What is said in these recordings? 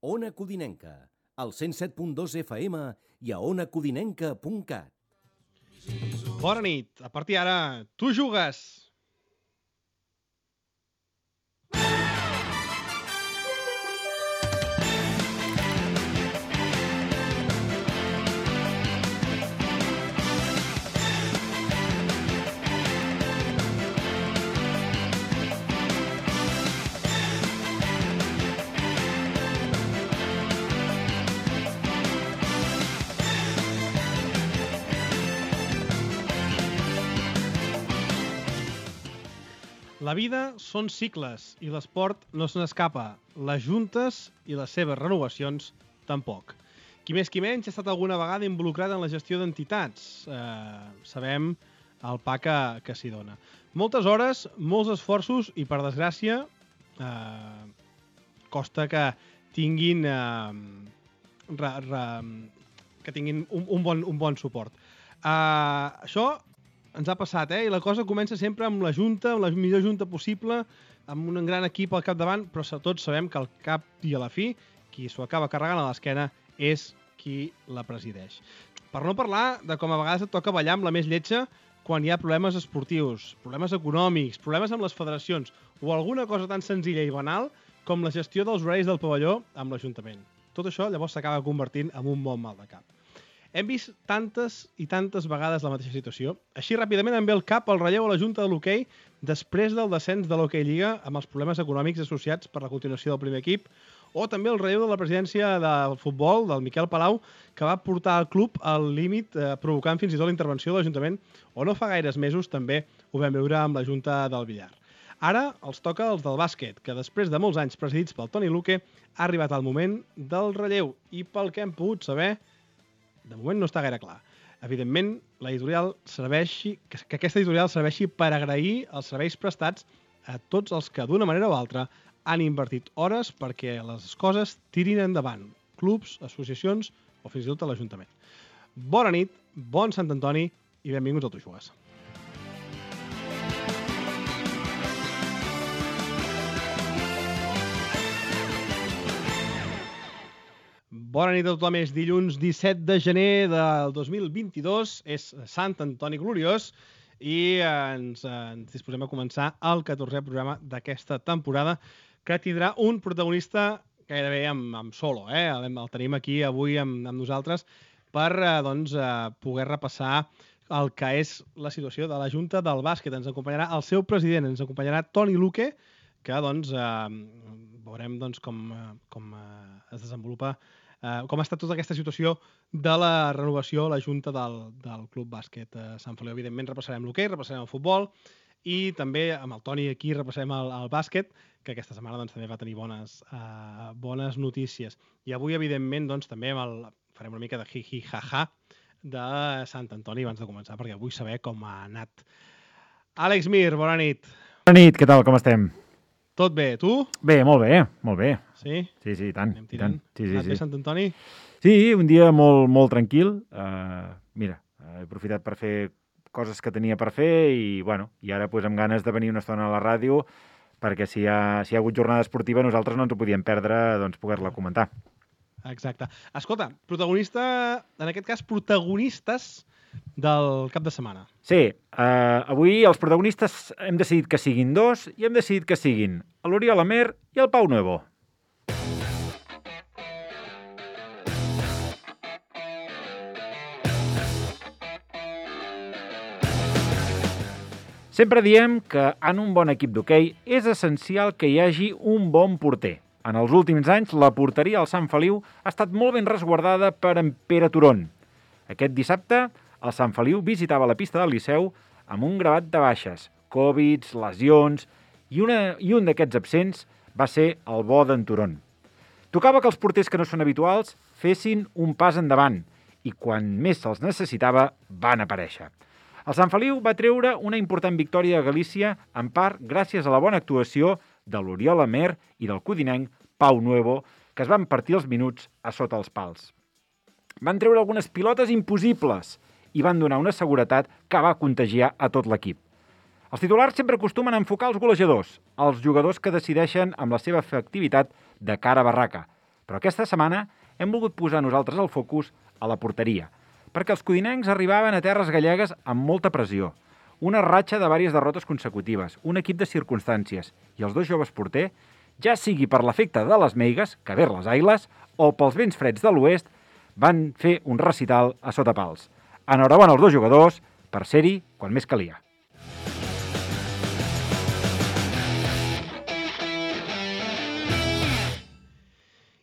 Ona Codinenca, al 107.2 FM i a onacodinenca.cat. Bona nit. A partir d'ara, tu jugues. La vida són cicles i l'esport no se n'escapa. Les juntes i les seves renovacions tampoc. Qui més qui menys ha estat alguna vegada involucrat en la gestió d'entitats. Sabem el pa que s'hi dona. Moltes hores, molts esforços i, per desgràcia, costa que tinguin, que tinguin un bon suport. Això ens ha passat, i la cosa comença sempre amb la junta, amb la millor junta possible, amb un gran equip al capdavant, però tots sabem que al cap i a la fi, qui s'ho acaba carregant a l'esquena és qui la presideix. Per no parlar de com a vegades et toca ballar amb la més lletja quan hi ha problemes esportius, problemes econòmics, problemes amb les federacions o alguna cosa tan senzilla i banal com la gestió dels horaris del pavelló amb l'Ajuntament. Tot això llavors s'acaba convertint en un bon mal de cap. Hem vist tantes i tantes vegades la mateixa situació. Així ràpidament em ve al cap el relleu a la Junta de l'Hoquei després del descens de l'Hoquei Lliga amb els problemes econòmics associats per la continuació del primer equip, o també el relleu de la presidència del futbol, del Miquel Palau, que va portar el club al límit, provocant fins i tot la intervenció de l'Ajuntament, o no fa gaires mesos també ho vam veure amb la Junta del Villar. Ara els toca els del bàsquet, que després de molts anys presidits pel Toni Luque ha arribat el moment del relleu i pel que hem pogut saber, de moment no està gaire clar. Evidentment, que aquesta editorial serveixi per agrair els serveis prestats a tots els que, d'una manera o altra, han invertit hores perquè les coses tirin endavant. Clubs, associacions o fins i tot a l'Ajuntament. Bona nit, bon Sant Antoni i benvinguts al Tu Jugues. Bona nit a tothom, és dilluns 17 de gener del 2022, és Sant Antoni Gloriós i ens disposem a començar el 14è programa d'aquesta temporada que tindrà un protagonista gairebé amb solo. El tenim aquí avui amb nosaltres per poder repassar el que és la situació de la Junta del Bàsquet. Ens acompanyarà el seu president, ens acompanyarà Toni Luque, que veurem com es desenvolupa, com ha estat tota aquesta situació de la renovació a la Junta del Club Bàsquet Sant Feliu. Evidentment repassarem l'hoquei, repassarem el futbol i també amb el Toni aquí repassarem el bàsquet, que aquesta setmana també va tenir bones notícies. I avui, evidentment, també farem una mica de hi-hi, ha-ha de Sant Antoni abans de començar, perquè vull saber com ha anat. Àlex Mir, bona nit. Bona nit, què tal, com estem? Tot bé, tu? Bé, molt bé, molt bé. Sí? Sí, tant. Anem tirant. Sí. Anat bé, Sant Antoni? Sí, un dia molt tranquil. Mira, he aprofitat per fer coses que tenia per fer i ara amb ganes de venir una estona a la ràdio perquè si hi ha hagut jornada esportiva nosaltres no ens ho podíem perdre, poder-la comentar. Exacte. Escolta, en aquest cas, protagonistes del cap de setmana. Sí, avui els protagonistes hem decidit que siguin dos i hem decidit que siguin l'Oriol Amer i el Pau Nuevo. Sempre diem que en un bon equip d'hoquei és essencial que hi hagi un bon porter. En els últims anys, la porteria al Sant Feliu ha estat molt ben resguardada per en Pere Turón. Aquest dissabte, el Sant Feliu visitava la pista del Liceu amb un gravat de baixes, Covid, lesions, i un d'aquests absents va ser el bo d'en Turón. Tocava que els porters que no són habituals fessin un pas endavant i quan més se'ls necessitava van aparèixer. El Sant Feliu va treure una important victòria a Galícia, en part gràcies a la bona actuació de l'Oriol Amer i del codinenc Pau Nuevo, que es van partir els minuts a sota els pals. Van treure algunes pilotes impossibles i van donar una seguretat que va contagiar a tot l'equip. Els titulars sempre acostumen a enfocar els golejadors, els jugadors que decideixen amb la seva efectivitat de cara a barraca. Però aquesta setmana hem volgut posar nosaltres el focus a la porteria, perquè els codinencs arribaven a terres gallegues amb molta pressió, una ratxa de diverses derrotes consecutives, un equip de circumstàncies, i els dos joves porter, ja sigui per l'efecte de les meigues, que ver les ailes, o pels vents freds de l'oest, van fer un recital a sota pals. Enhorabona als dos jugadors per ser-hi quan més calia.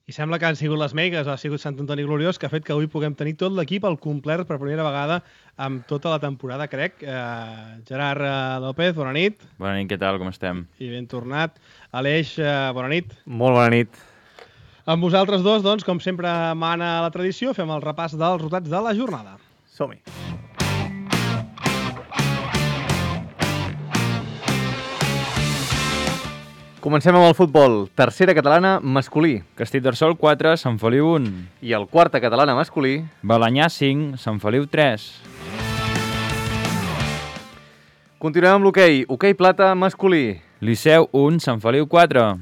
I sembla que han sigut les meigues, ha sigut Sant Antoni Gloriós, que ha fet que avui puguem tenir tot l'equip al complet per primera vegada amb tota la temporada, crec. Gerard López, bona nit. Bona nit, què tal, com estem? I ben tornat. Aleix, bona nit. Molt bona nit. Amb vosaltres dos, doncs, com sempre mana la tradició, fem el repàs dels resultats de la jornada. Som-hi. Comencem amb el futbol. Tercera catalana masculí. Castellterçol 4, Sant Feliu 1. I el quarta catalana masculí. Balanyà 5, Sant Feliu 3. Continuem amb l'hoquei. Hoquei plata masculí. Liceu 1, Sant Feliu 4.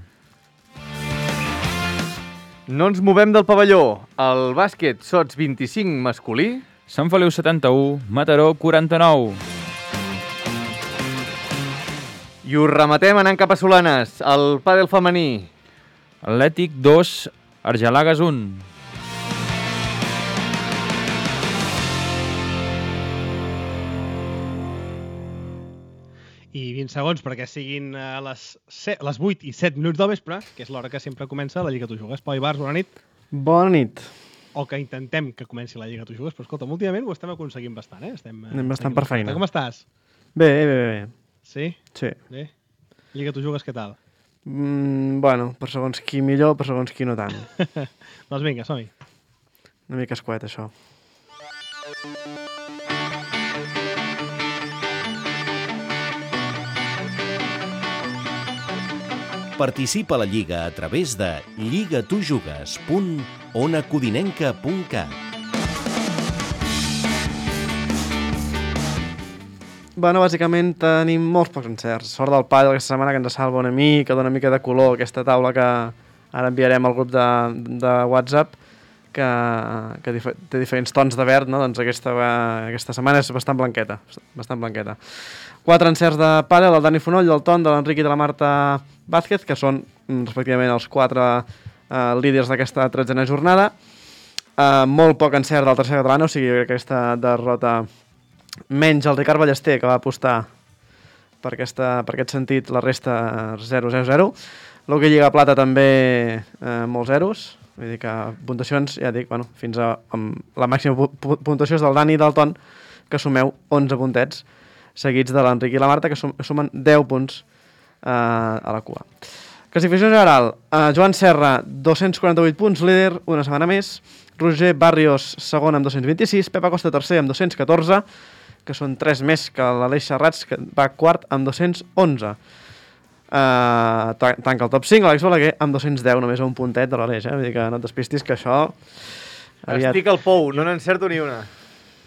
No ens movem del pavelló. El bàsquet sots 25 masculí. Sant Feliu 71, Mataró 49. I ho rematem anant cap a Solanes. El pàdel femení. Atlètic 2, Argelagues 1. I 20 segons perquè siguin les 8 i 7 minuts del vespre, que és l'hora que sempre comença la Lliga Tu Jugues. Pau Ibars, bona nit. Bona nit. O que intentem que comenci la Lliga Tu Jugues, però escolta, últimament ho estem aconseguint bastant, eh? Anem bastant per feina. Com estàs? Bé. Sí? Sí. Bé. Lliga Tu Jugues, què tal? Bueno, per segons qui millor, per segons qui no tant. Doncs vinga, som-hi. Una mica escuet, això. Participa a la Lliga a través de lligatujugues.onacodinenca.cat. Bueno, bàsicament tenim molts pocs encerts. Sort del pàdel aquesta setmana que ens salva una mica, dona una mica de color aquesta taula que ara enviarem al grup de WhatsApp, que té diferents tons de verd, no? Doncs aquesta setmana és bastant blanqueta. 4 encerts de pàdel, el Dani Fonoll, el Ton, de l'Enric i de la Marta Vázquez, que són respectivament els 4 líders d'aquesta 13a jornada. Molt poc encert del tercer català, o sigui, aquesta derrota menys el Ricard Ballester, que va apostar per aquest sentit, la resta 0-0-0. L'hoquei Lliga Plata també molts zeros, vull dir que puntuacions, ja dic, bueno, fins a la màxima puntuació és del Dani i del Ton, que sumeu 11 puntets, seguits de l'Enric i la Marta, que sumen 10 punts a la cua. Classificació general, Joan Serra, 248 punts, líder, una setmana més. Roger Barrios, segon amb 226. Pep Acosta, tercer amb 214, que són 3 més que l'Aleix Serrats, que va quart amb 211. Tanca el top 5, l'Àlex Balaguer amb 210, només a un puntet de l'Aleix. Vull dir que no et despistis, que això... Estic al pou, no n'encerto ni una.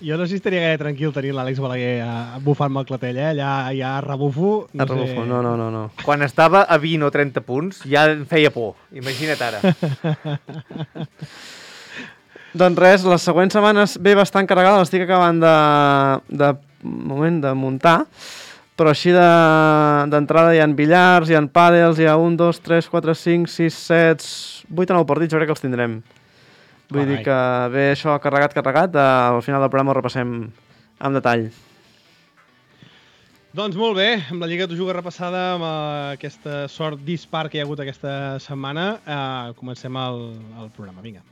Jo no sé si estaria gaire tranquil tenir l'Àlex Balaguer bufant-me el clatell, eh? Allà rebufo... No. Quan estava a 20 o 30 punts ja em feia por, imagina't ara. Doncs res, les següents setmanes ve bastant carregada, l'estic acabant de muntar, però així d'entrada hi ha billars, hi ha pàdels, hi ha 1, 2, 3, 4, 5, 6, 7, 8 o 9 partits, jo crec que els tindrem. Vull dir que ve això carregat, al final del programa ho repassem amb detall. Doncs molt bé, amb la Lliga Tu Jugues repassada, amb aquesta sort dispar que hi ha hagut aquesta setmana, comencem el programa. Vinga.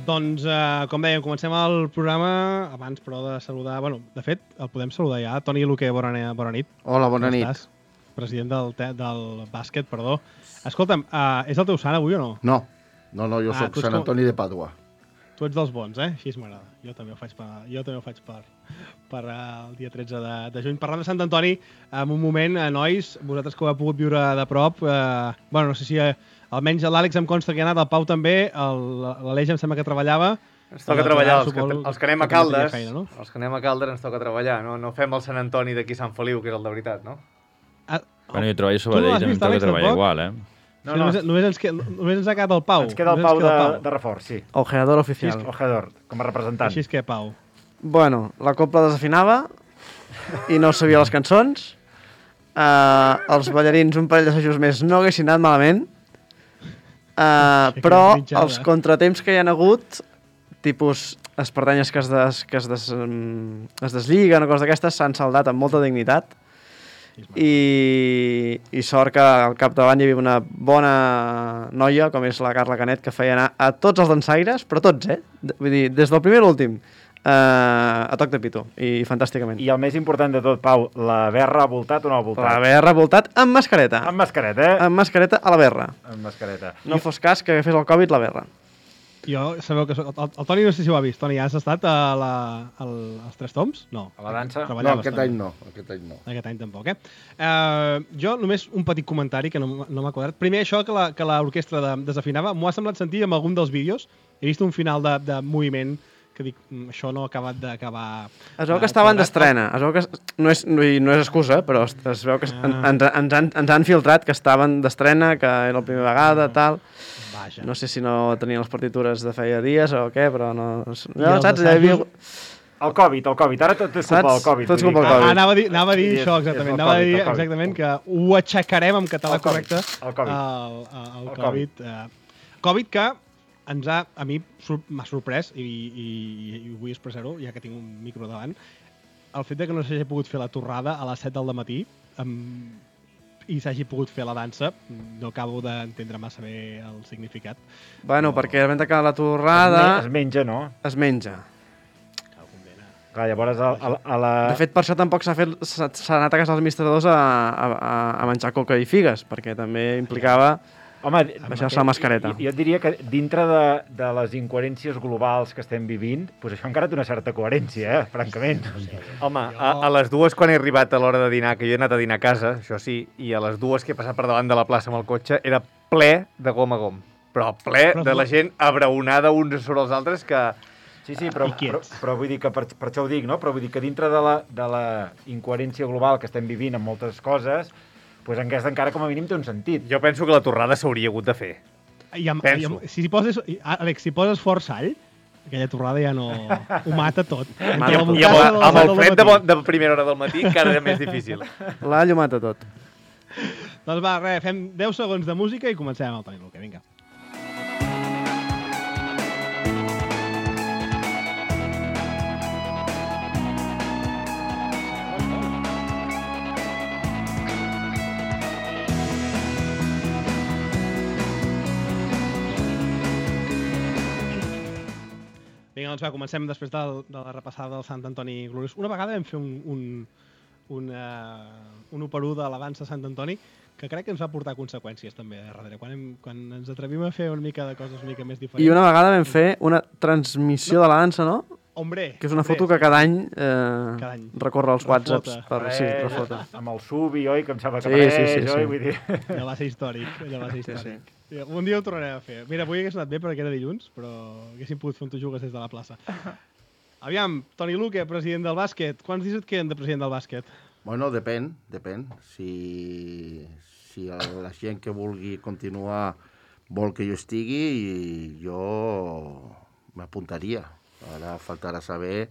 Doncs, com dèiem, comencem el programa abans, però, de saludar... Bueno, de fet, el podem saludar ja. Toni Luque, bona nit. Hola, bona nit. Estàs? President del bàsquet, perdó. Escolta'm, és el teu sant avui o no? No, jo soc Sant Antoni de Pàdua. Tu ets dels bons, Així m'agrada. Jo també ho faig per el dia 13 de juny. Parlant de Sant Antoni, en un moment, nois, vosaltres que ho heu pogut viure de prop, no sé si almenys l'Àlex em consta que ha anat, el Pau també, l'Aleix em sembla que treballava. Ens toca treballar, els que anem a Caldes, feina, no? Els que anem a Caldes ens toca treballar, no fem el Sant Antoni d'aquí Sant Feliu, que és el de veritat, no? Bueno, jo treballo sobre d'ell, també em toca treballar igual, No. Només ens ha quedat el Pau. Ens queda el Pau de reforç, sí. Ojeador oficial. Ojeador, com a representant. Així és que, Pau. Bueno, la copla desafinava i no sabia les cançons. Els ballarins, un parell d'assajos més, no haguessin anat malament. Però els contratemps que hi ha hagut, tipus espardenyes que es deslliguen o coses d'aquestes, s'han saldat amb molta dignitat. I sort que al capdavant hi havia una bona noia, com és la Carla Canet, que feia anar a tots els dansaires, però tots, Vull dir, des del primer a l'últim, a toc de pito, i fantàsticament. I el més important de tot, Pau, la berra ha voltat o no ha voltat? La berra ha voltat amb mascareta. Amb mascareta, Amb mascareta a la berra. Amb mascareta. No fos cas que fes el Covid la berra. Jo, sabeu que el Toni no sé si ho ha vist. Toni, has estat als Tres Toms? No. A la dansa? No, aquest any no. Aquest any tampoc, Jo només un petit comentari que no m'ha quadrat. Primer, això que l'orquestra desafinava, m'ho ha semblat sentir en algun dels vídeos. He vist un final de moviment que dic, això no ha acabat d'acabar... Es veu que estaven d'estrena. Es veu que no és excusa, però es veu que ens han filtrat que estaven d'estrena, que era la primera vegada, tal... Vaja. No sé si no tenien les partitures de feia dies o què, però no... saps? El Covid. Ara tot és culpa del Covid. Tot és culpa del Covid. Anava a dir això, exactament. Anava a dir exactament que ho aixecarem en català correcte. El Covid. Covid que a mi m'ha sorprès, i vull expressar-ho, ja que tinc un micro davant, el fet que no s'hagi pogut fer la torrada a les 7 del matí, i s'hagi pogut fer la dansa, no acabo d'entendre massa bé el significat. Bueno, perquè de que la torrada... Es menja, no? Es menja. Clar, llavors a la... De fet, per això tampoc s'ha anat a casa dels administradors a menjar coca i figues, perquè també implicava... Home, baixar-se la mascareta. Jo et diria que dintre de les incoherències globals que estem vivint, doncs això encara té una certa coherència, francament. Home, a les 2 quan he arribat a l'hora de dinar, que jo he anat a dinar a casa, això sí, i a les 2 que he passat per davant de la plaça amb el cotxe, era ple de gom a gom. Però ple de la gent abraonada uns sobre els altres que... Sí, però vull dir que per això ho dic, no? Però vull dir que dintre de la incoherència global que estem vivint amb moltes coses, doncs aquesta encara com a mínim té un sentit. Jo penso que la torrada s'hauria hagut de fer. Penso. Àlex, si poses fort sall, aquella torrada ja no... ho mata tot. I amb el fred de primera hora del matí encara era més difícil. L'all ho mata tot. Doncs va, fem 10 segons de música i comencem amb el Toni Luque. Vinga. Vinga, doncs va, comencem després de la repassada del Sant Antoni Gloriós. Una vegada vam fer un operú de la dansa de Sant Antoni que crec que ens va portar conseqüències també darrere. Quan ens atrevim a fer una mica de coses una mica més diferents. I una vegada vam fer una transmissió de la dansa, no? Hombre! Que és una foto que cada any recorre els WhatsApps per refota. Amb el Subi, oi? Que em sembla que apareix, oi? Vull dir... Ja va ser històric, Sí. Un dia ho tornarem a fer. Mira, avui hagués anat bé perquè era dilluns, però haguéssim pogut fer un tu jugues des de la plaça. Aviam, Toni Luque, president del bàsquet. Quants dies et queden de president del bàsquet? Bueno, depèn. Si la gent que vulgui continuar vol que jo estigui, jo m'apuntaria. Ara faltarà saber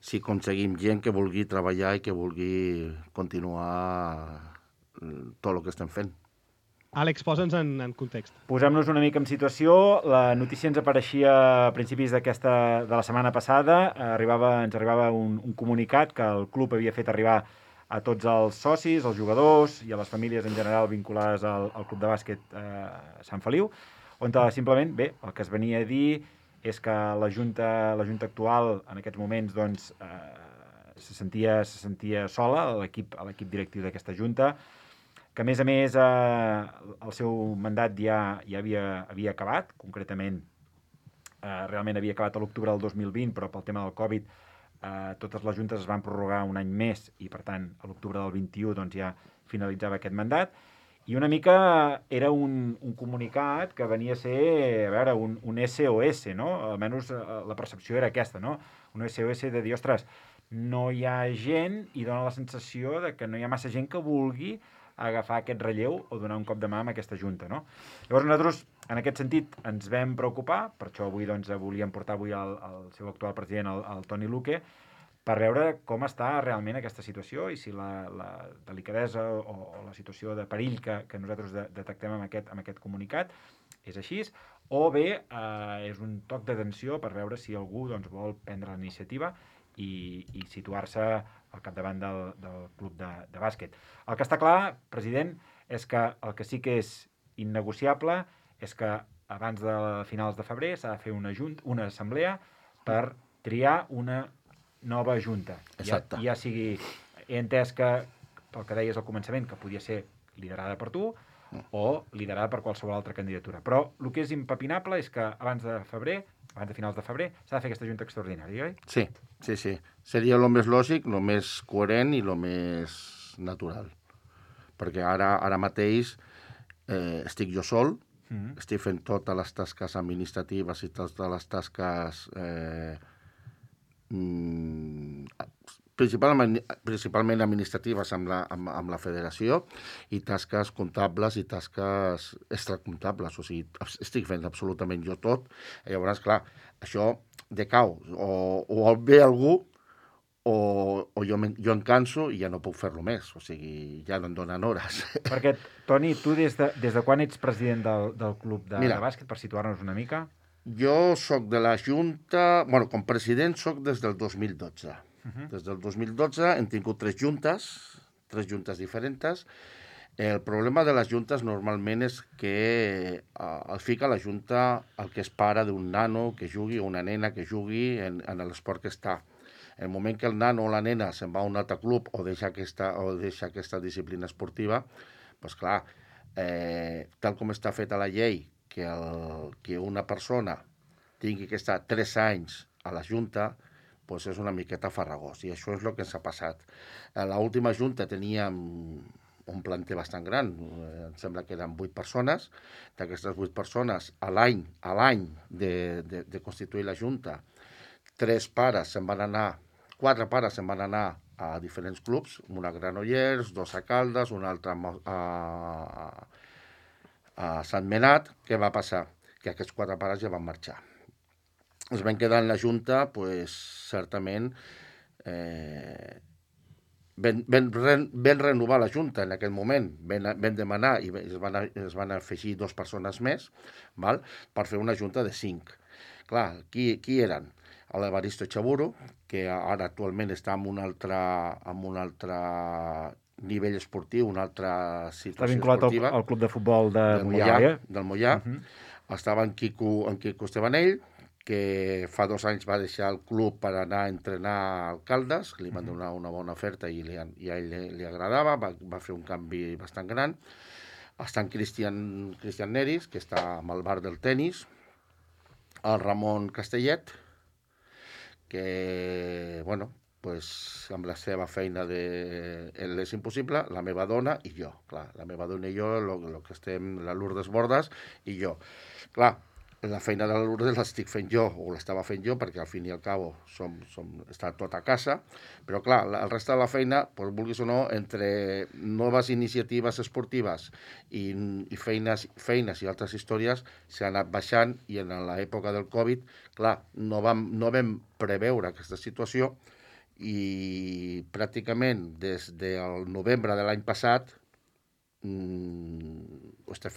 si aconseguim gent que vulgui treballar i que vulgui continuar tot el que estem fent. Àlex, posa'ns en context. Posem-nos una mica en situació. La notícia ens apareixia a principis de la setmana passada. Ens arribava un comunicat que el club havia fet arribar a tots els socis, als jugadors i a les famílies en general vinculades al club de bàsquet Sant Feliu, on simplement, bé, el que es venia a dir és que la Junta actual en aquests moments doncs, se sentia sola, l'equip directiu d'aquesta Junta, que a més el seu mandat ja havia acabat, concretament realment havia acabat a l'octubre del 2020, però pel tema del Covid totes les juntes es van prorrogar un any més i, per tant, a l'octubre del 21 doncs, ja finalitzava aquest mandat. I una mica era un comunicat que venia a ser, a veure, un SOS, no? Almenys la percepció era aquesta, no? Un SOS de dir, ostres, no hi ha gent i dona la sensació de que no hi ha massa gent que vulgui agafar aquest relleu o donar un cop de mà amb aquesta junta, no? Llavors nosaltres, en aquest sentit, ens vam preocupar, per això avui doncs, volíem portar avui el seu actual president, el Toni Luque, per veure com està realment aquesta situació i si la delicadesa o la situació de perill que nosaltres detectem amb aquest comunicat és així, o bé és un toc d'atenció per veure si algú doncs, vol prendre la iniciativa i situar-se al capdavant del club de bàsquet. El que està clar, president, és que el que sí que és innegociable és que abans de finals de febrer s'ha de fer una assemblea per triar una nova junta. Exacte. Ja sigui, he entès que, pel que deies al començament, que podia ser liderada per tu o liderada per qualsevol altra candidatura. Però el que és impepinable és que abans de finals de febrer, s'ha de fer aquesta junta extraordinària, oi? Sí. Seria el més lògic, el més coherent i el més natural. Perquè ara mateix estic jo sol, estic fent totes les tasques administratives i totes les tasques principalment administratives amb la federació i tasques comptables i tasques extracomptables. O sigui, estic fent absolutament jo tot. I llavors, clar, això decau. O ve algú o jo em canso i ja no puc fer-lo més. O sigui, ja no em donen hores. Perquè, Toni, tu des de quan ets president del club de bàsquet, per situar-nos una mica? Jo soc de la Junta... Bueno, com president soc des del 2012. Des del 2012 hem tingut tres juntes diferents. El problema de les juntes normalment és que el fica la junta el que és pare d'un nano que jugui o una nena que jugui en l'esport que està. En el moment que el nano o la nena se'n va a un altre club o deixa aquesta disciplina esportiva, doncs clar, tal com està feta la llei, que una persona tingui que estar 3 anys a la junta, doncs és una miqueta farragós, i això és el que ens ha passat. A l'última junta teníem un planter bastant gran, em sembla que eren 8 persones. D'aquestes 8 persones, a l'any de constituir la junta, 4 pares se'n van anar a diferents clubs, un a Granollers, 2 a Caldes, un altre a Sant Menat. Què va passar? Que aquests 4 pares ja van marxar. Es van quedar en la junta, doncs, certament, vam renovar la junta en aquell moment, vam demanar i es van afegir 2 persones més, val? Per fer una junta de 5. Clar, qui eren? L'Evaristo Chaburo, que ara actualment està en un altre nivell esportiu, una altra situació esportiva. Està vinculat al club de futbol del Moià. Estava en Quico Estebanell, que fa 2 anys va deixar el club per anar a entrenar al Caldes, li van donar una bona oferta i a ell li agradava, va fer un canvi bastant gran. Està en Cristian Neris, que està amb el bar del tenis, el Ramon Castellet, que, bueno, amb la seva feina de És Impossible, la meva dona i jo. Clar, la meva dona i jo, el que estem, la Lourdes Bordas i jo. Clar, la feina de la Lourdes l'estic fent jo, o l'estava fent jo, perquè al fin i al cabo està tot a casa, però clar, el resta de la feina, doncs, vulguis o no, entre noves iniciatives esportives i feines i altres històries, s'ha anat baixant, i en l'època del Covid, clar, no vam preveure aquesta situació, i pràcticament des del novembre de l'any passat ho estic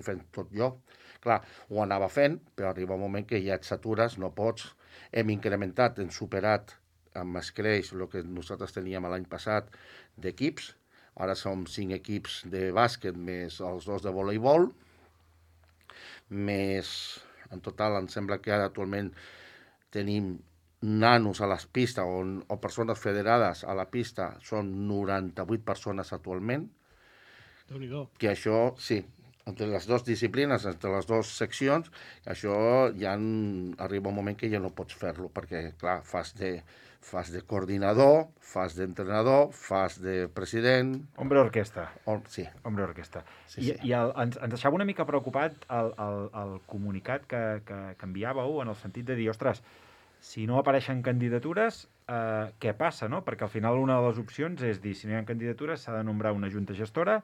fent tot jo. Clar, ho anava fent, però arriba un moment que ja et satures, no pots. Hem incrementat, hem superat amb escreix el que nosaltres teníem l'any passat d'equips. Ara som 5 equips de bàsquet més els 2 de voleibol. Més, en total, em sembla que ara actualment tenim nanos a les pistes o persones federades a la pista, són 98 persones actualment. Déu-n'hi-do. Que això, sí, entre les dues disciplines, entre les dues seccions, això ja arriba un moment que ja no pots fer-lo, perquè, clar, fas de coordinador, fas d'entrenador, fas de president... Hombre orquesta. Sí. Hombre orquesta. Sí. I ens deixava una mica preocupat el comunicat que enviàveu en el sentit de dir, ostres, si no apareixen candidatures, què passa, no? Perquè al final una de les opcions és dir, si no hi ha candidatures s'ha de nombrar una junta gestora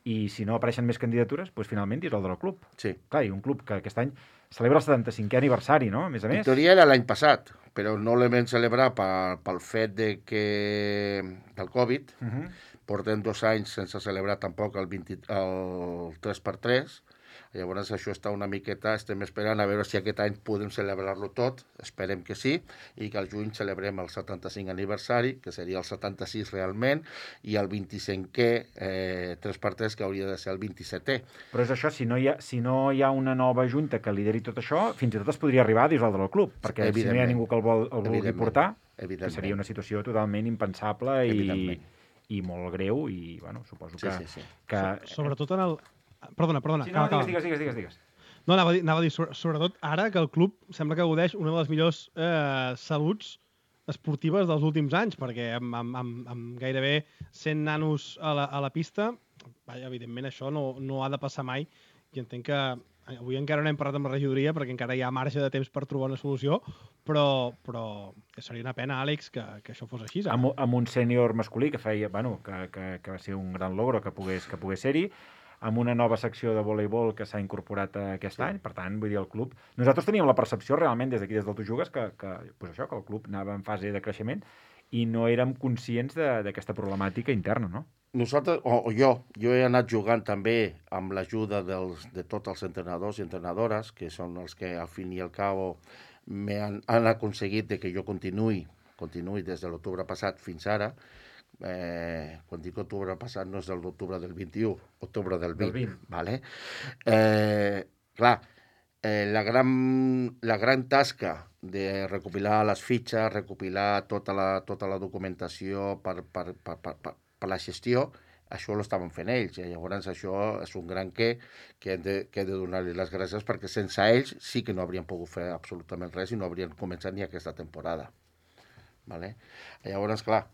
i si no apareixen més candidatures, doncs finalment dissoldre el club. Sí. Clar, i un club que aquest any celebra el 75è aniversari, no? A més a més. En teoria era l'any passat, però no l'hem celebrar pel fet del Covid. Portem 2 anys sense celebrar tampoc el 3x3. Llavors això està una miqueta, estem esperant a veure si aquest any podem celebrar-lo tot, esperem que sí, i que al juny celebrem el 75 aniversari, que seria el 76 realment, i el 25è 3x3, que hauria de ser el 27è. Però és això, si no hi ha una nova junta que lideri tot això, fins i tot es podria arribar a dissoldre el club, perquè si no hi ha ningú que el vulgui portar, que seria una situació totalment impensable i molt greu, i bueno, suposo que... Sí. Sobretot en el... Perdona. Sí, no, digues. No, anava a dir, sobretot ara que el club sembla que gaudeix una de les millors saluts esportives dels últims anys, perquè amb gairebé 100 nanos a la pista, evidentment això no ha de passar mai, i entenc que avui encara no hem parlat amb la regidoria perquè encara hi ha marge de temps per trobar una solució, però seria una pena, Àlex, que això fos així. Amb un sènior masculí que feia, bueno, que va ser un gran logro que pogués ser-hi, amb una nova secció de voleibol que s'ha incorporat aquest any, per tant, vull dir, el club... Nosaltres teníem la percepció realment des d'aquí, des del Tu Jugues, que el club anava en fase de creixement i no érem conscients d'aquesta problemàtica interna, no? Nosaltres, jo he anat jugant també amb l'ajuda de tots els entrenadors i entrenadores, que són els que al fin i al cabo han aconseguit que jo continuï des de l'octubre passat fins ara. Quan dic octubre passat no és l'octubre del 21, octubre del 20. Vale? Clar, la gran tasca de recopilar les fitxes, recopilar tota la documentació per la gestió, això ho estaven fent ells, i llavors això és un gran que he de donar-li les gràcies, perquè sense ells sí que no haurien pogut fer absolutament res i no haurien començat ni aquesta temporada. Vale? Llavors, clar,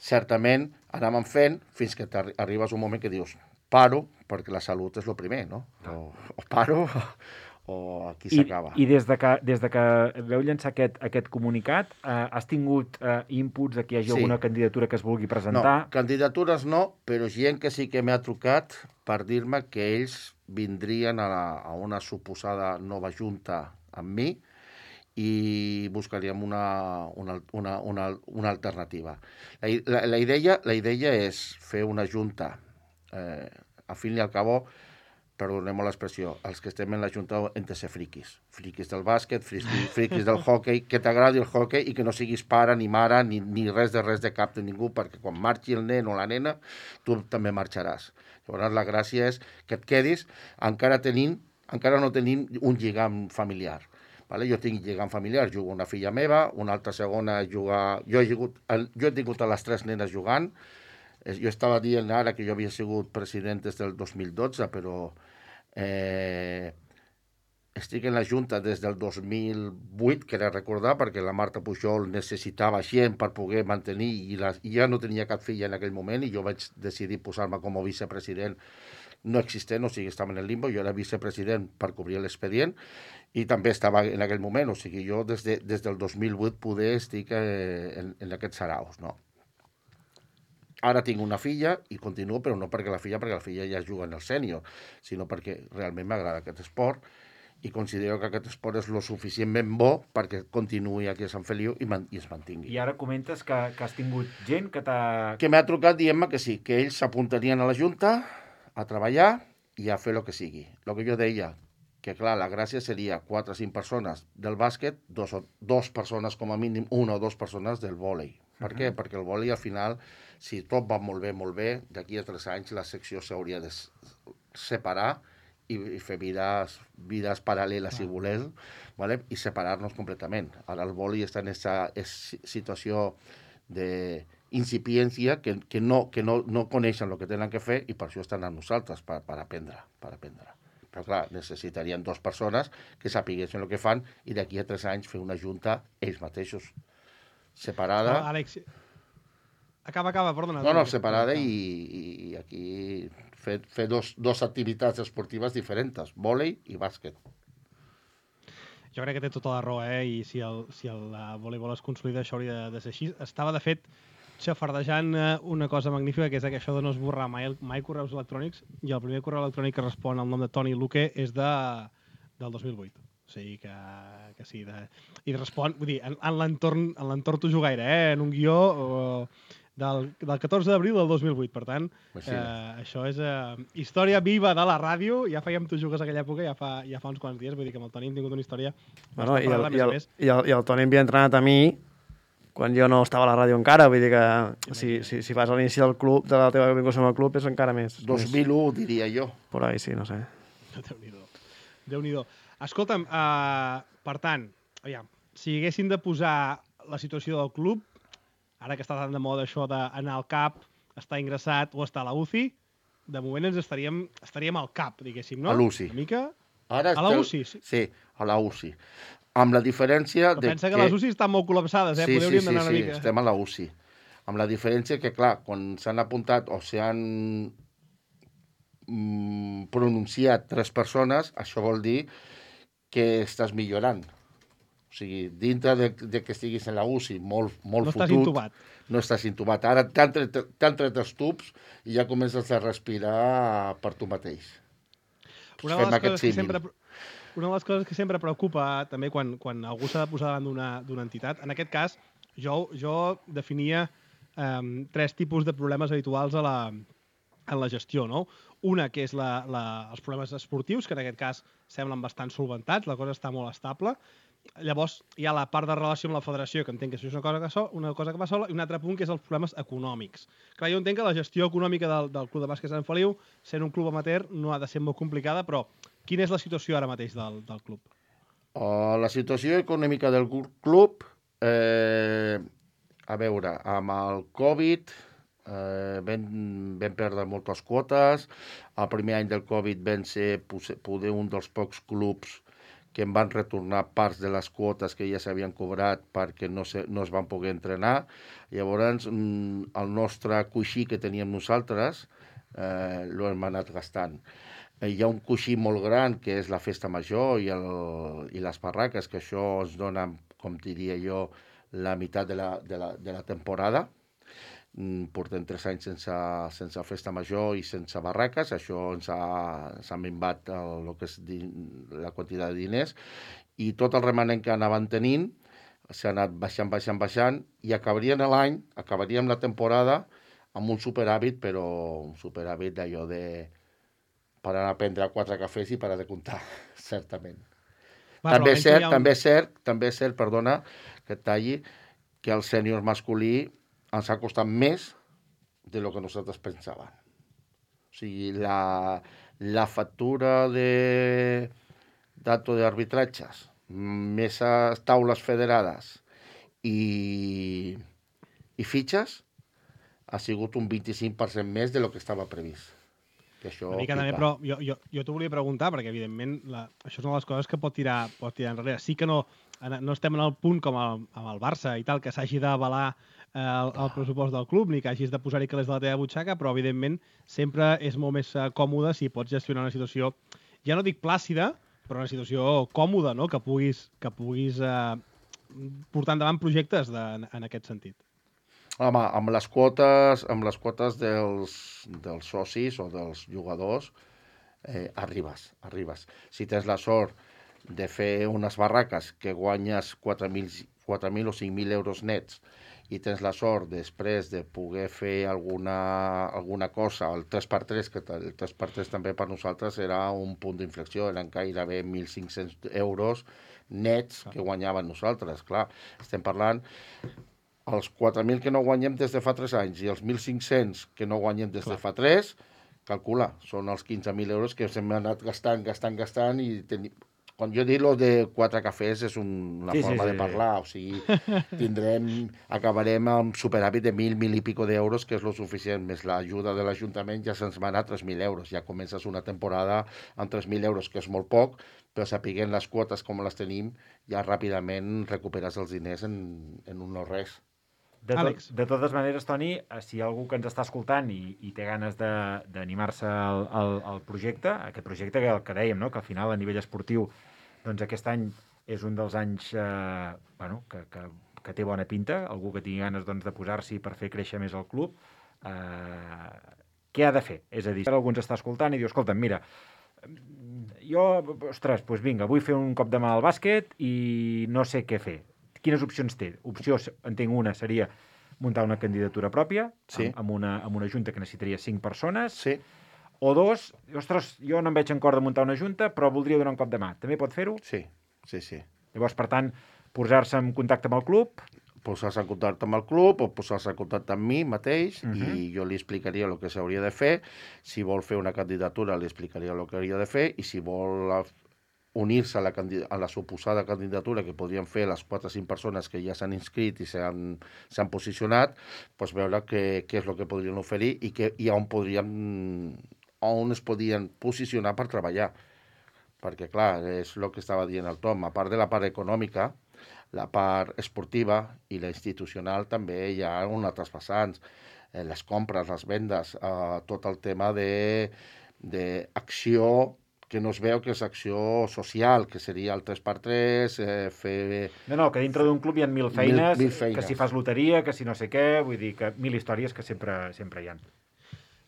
certament anàvem fent fins que arribes un moment que dius paro, perquè la salut és el primer, no? O paro o aquí s'acaba. I des de que veu llançar aquest comunicat, has tingut inputs de que hi hagi alguna candidatura que es vulgui presentar? No, candidatures no, però gent que sí que m'ha trucat per dir-me que ells vindrien a una suposada nova junta amb mi i buscaríem una alternativa. La idea és fer una junta, al fin i al cabo, perdoneu l'expressió, els que estem en la junta hem de ser friquis del bàsquet, friquis del hockey, que t'agradi el hockey i que no siguis pare ni mare ni res de cap de ningú, perquè quan marxi el nen o la nena, tu també marxaràs. Llavors la gràcia és que et quedis encara no tenim un lligam familiar. Vale? Jo tinc lligam familiar, jugo una filla meva, una altra segona juga... Jo he tingut a les 3 nenes jugant. Jo estava dient ara que jo havia sigut president des del 2012, però estic en la Junta des del 2008, que era recordar, perquè la Marta Pujol necessitava gent per poder mantenir, i ja no tenia cap filla en aquell moment, i jo vaig decidir posar-me com a vicepresident no existent, o sigui, estava en el limbo, jo era vicepresident per cobrir l'expedient, i també estava en aquell moment, o sigui, jo des del 2008 poder estic en aquests saraus, no? Ara tinc una filla i continuo, però no perquè la filla ja juga en el sènior, sinó perquè realment m'agrada aquest esport i considero que aquest esport és lo suficientment bo perquè continuï aquí a Sant Feliu i es mantingui. I ara comentes que has tingut gent que t'ha... Que m'ha trucat dient-me que sí, que ells s'apuntarien a la Junta a treballar i a fer el que sigui. El que jo deia, que clar, la gràcia seria 4 o 5 persones del bàsquet, 2 persones com a mínim, 1 o 2 persones del vòlei. Per què? Perquè el vòlei al final, si tot va molt bé, d'aquí a 3 anys la secció s'hauria de separar i fer vides paral·leles, si voleu, ¿vale? I separar-nos completament. Ara el vòlei està en aquesta situació incipiència que no coneixen el que tenen que fer i per això estan amb nosaltres, per aprendre. Però clar, necessitarien 2 persones que sapiguessin el que fan i d'aquí a 3 anys fer una junta ells mateixos, separada. No, Àlex, acaba, perdona. No, separada i aquí fer dos activitats esportives diferents, vòlei i bàsquet. Jo crec que té tota la raó, i si el voleibol es consolida, això hauria de ser així. Estava, de fet, xafardejant una cosa magnífica, que és això de no esborrar mai correus electrònics, i el primer correu electrònic que respon al nom de Toni Luque és del 2008. O sigui que sí. I respon, vull dir, en l'entorn t'ho jugaire, en un guió del 14 d'abril del 2008. Per tant, això és història viva de la ràdio. Ja fèiem tu jugues aquella època, ja fa uns quants dies. Vull dir que amb el Toni hem tingut una història... Bueno, i el Toni m'havia entrenat a mi quan jo no estava a la ràdio encara. Vull dir que si vas a l'inici del club, de la teva vinculació amb el club, és encara més. 2001, diria jo. Por ahí, sí, no sé. Déu-n'hi-do. Escolta'm, per tant, aviam, si haguessin de posar la situació del club, ara que està tan de moda això d'anar al CAP, estar ingressat o estar a la UCI, de moment ens estaríem al CAP, diguéssim, no? A l'UCI. Una mica... Ara a la UCI? Sí, a la UCI. Amb la diferència... Però pensa que les UCI estan molt col·lapsades, Sí, podríem anar una mica. Sí, estem a la UCI. Amb la diferència que, clar, quan s'han apuntat o s'han pronunciat 3 persones, això vol dir que estàs millorant. O sigui, dintre de que estiguis en la UCI molt no fotut... Estàs intubat. No estàs intubat. Ara t'han tret els tubs i ja comences a respirar per tu mateix. Una de les coses que sempre preocupa també quan algú s'ha de posar davant d'una entitat, en aquest cas jo definia 3 tipus de problemes habituals en la gestió, no? Una, que és els problemes esportius, que en aquest cas semblen bastant solventats, la cosa està molt estable. Llavors hi ha la part de relació amb la federació, que entenc que això és una cosa que va sola, i un altre punt que és els problemes econòmics. Clar, jo entenc que la gestió econòmica del Club de Bàsquet Sant Feliu, sent un club amateur, no ha de ser molt complicada, però quina és la situació ara mateix del club? La situació econòmica del club, a veure, amb el Covid vam perdre moltes quotes. El primer any del Covid vam ser poder un dels pocs clubs que em van retornar parts de les quotes que ja s'havien cobrat perquè no es van poder entrenar. Llavors, el nostre coixí que teníem nosaltres l'hem anat gastant. Hi ha un coixí molt gran, que és la festa major i les barraques, que això ens dona, com diria jo, la meitat de la temporada. Portem 3 anys sense festa major i sense barraques. Això ens ha minvat el que és la quantitat de diners, i tot el remanent que anaven tenint s'ha anat baixant i acabaríem la temporada amb un superàvit, però un superàvit d'allò per anar a prendre 4 cafès i parar de comptar, certament. També és cert, perdona que et talli, que el sènior masculí ens ha costat més de lo que nosaltres pensàvem. O sigui, la factura d'acto d'arbitratges, més taules federades i fitxes, ha sigut un 25% més de lo que estava previst. Una mica també, però jo t'ho volia preguntar, perquè evidentment això és una de les coses que pot tirar enrere. Sí que no estem en el punt com amb el Barça i tal, que s'hagi d'avalar el pressupost del club, ni que hagis de posar-hi calés de la teva butxaca, però evidentment sempre és molt més còmode si pots gestionar una situació, ja no dic plàcida, però una situació còmoda, no? Que puguis portar endavant projectes en aquest sentit. Home, amb les quotes dels socis o dels jugadors arribes. Si tens la sort de fer unes barraques que guanyes 4.000 o 5.000 euros nets i tens la sort després de poder fer alguna cosa, el 3x3, que el 3x3 també per nosaltres era un punt d'inflexió, eren gairebé 1.500 euros nets que guanyàvem nosaltres. Clar, estem parlant els 4.000 que no guanyem des de fa 3 anys i els 1.500 que no guanyem des de fa 3, calcula, són els 15.000 euros que hem anat gastant i Quan jo dic lo de 4 cafès és una forma de parlar, o sigui, acabarem amb superàvit de 1.000 i pico d'euros, que és lo suficient, més l'ajuda de l'Ajuntament ja se'ns va anar a 3.000 euros. Ja comences una temporada amb 3.000 euros, que és molt poc, però sapiguent les quotes com les tenim, ja ràpidament recuperes els diners en un no res. De totes maneres, Toni, si hi ha algú que ens està escoltant i té ganes d'animar-se al projecte, aquest projecte que dèiem, no? Que al final, a nivell esportiu, doncs aquest any és un dels anys que té bona pinta, algú que tingui ganes de posar-s'hi per fer créixer més el club, què ha de fer? És a dir, si algú ens està escoltant i diu, escolta'm, mira, jo, ostres, doncs vinga, vull fer un cop de mà al bàsquet i no sé què fer. Quines opcions té? Opció, entenc una, seria muntar una candidatura pròpia, sí, amb una junta que necessitaria 5 persones, sí, o 2, ostres, jo no em veig en cor de muntar una junta, però voldria donar un cop de mà. També pot fer-ho? Sí, sí, sí. Llavors, per tant, posar-se en contacte amb el club? Posar-se en contacte amb el club o posar-se en contacte amb mi mateix i jo li explicaria el que s'hauria de fer. Si vol fer una candidatura, li explicaria el que hauria de fer i si vol unir-se a la suposada candidatura que podrien fer les 4 o 5 persones que ja s'han inscrit i s'han posicionat, doncs veure què és el que podrien oferir i on es podien posicionar per treballar. Perquè, clar, és el que estava dient el Tom, a part de la part econòmica, la part esportiva i la institucional també hi ha uns altres vessants. Les compres, les vendes, tot el tema d'acció que no es veu que és acció social, que seria el 3x3, fer... No, que dintre d'un club hi ha 1.000 feines, que si fas loteria, que si no sé què, vull dir que 1.000 històries que sempre hi ha.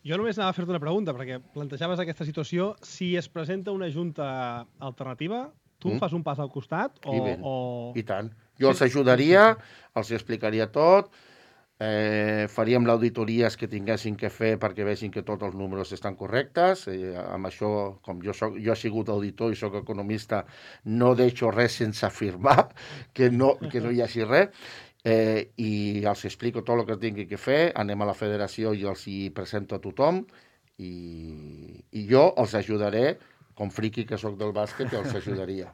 Jo només anava a fer-te una pregunta, perquè plantejaves aquesta situació. Si es presenta una junta alternativa, tu fas un pas al costat o... I tant. Jo els ajudaria, els explicaria tot, faríem l'auditories que tinguessin que fer perquè vegin que tots els números estan correctes. Amb això, com jo he sigut auditor i soc economista, no deixo res sense afirmar que no hi hagi res. I els explico tot el que tingui que fer, anem a la federació i els hi presento a tothom i jo els ajudaré, com friqui que sóc del bàsquet, els ajudaria.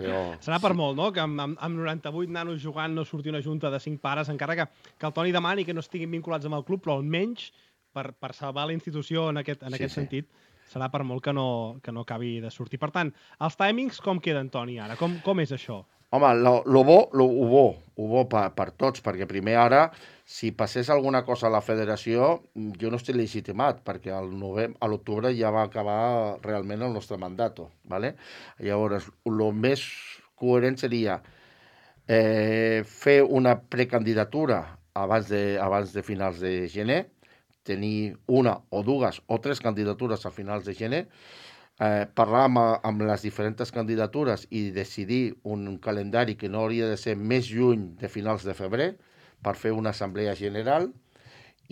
Però, serà per molt, no?, que amb 98 nanos jugant no surti una junta de 5 pares, encara que el Toni demani que no estiguin vinculats amb el club, però almenys per salvar la institució en aquest sentit, serà per molt que no acabi de sortir. Per tant, els timings com queden, Toni, ara? Com és això? Home, lo bo per tots, perquè primer ara, si passés alguna cosa a la federació, jo no estic legitimat, perquè a l'octubre ja va acabar realment el nostre mandat, ¿vale? Llavors, el més coherent seria fer una precandidatura abans de finals de gener, tenir una o 2 o 3 candidatures a finals de gener, parlar amb les diferents candidatures i decidir un calendari que no hauria de ser més lluny de finals de febrer per fer una assemblea general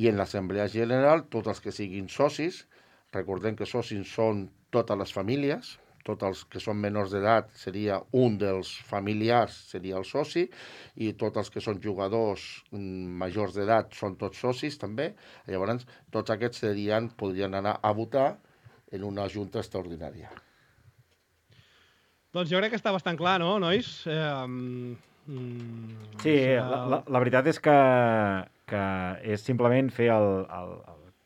i en l'assemblea general tots els que siguin socis, recordem que socis són totes les famílies, tots els que són menors d'edat seria un dels familiars, seria el soci, i tots els que són jugadors majors d'edat són tots socis també. Llavors tots aquests podrien anar a votar en una junta extraordinària. Doncs jo crec que està bastant clar, no, nois? Sí, la veritat és que és simplement fer el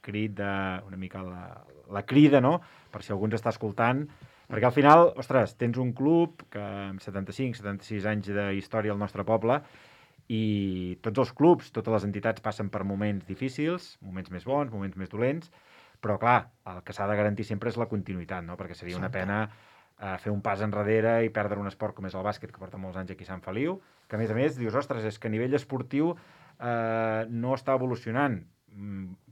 crit una mica la crida, no?, per si algú ens està escoltant, perquè al final, ostres, tens un club que amb 75-76 anys de història al nostre poble i tots els clubs, totes les entitats passen per moments difícils, moments més bons, moments més dolents, però, clar, el que s'ha de garantir sempre és la continuïtat, no? Perquè seria una pena fer un pas enrere i perdre un esport com és el bàsquet, que porta molts anys aquí a Sant Feliu, que, a més, dius, ostres, és que a nivell esportiu no està evolucionant,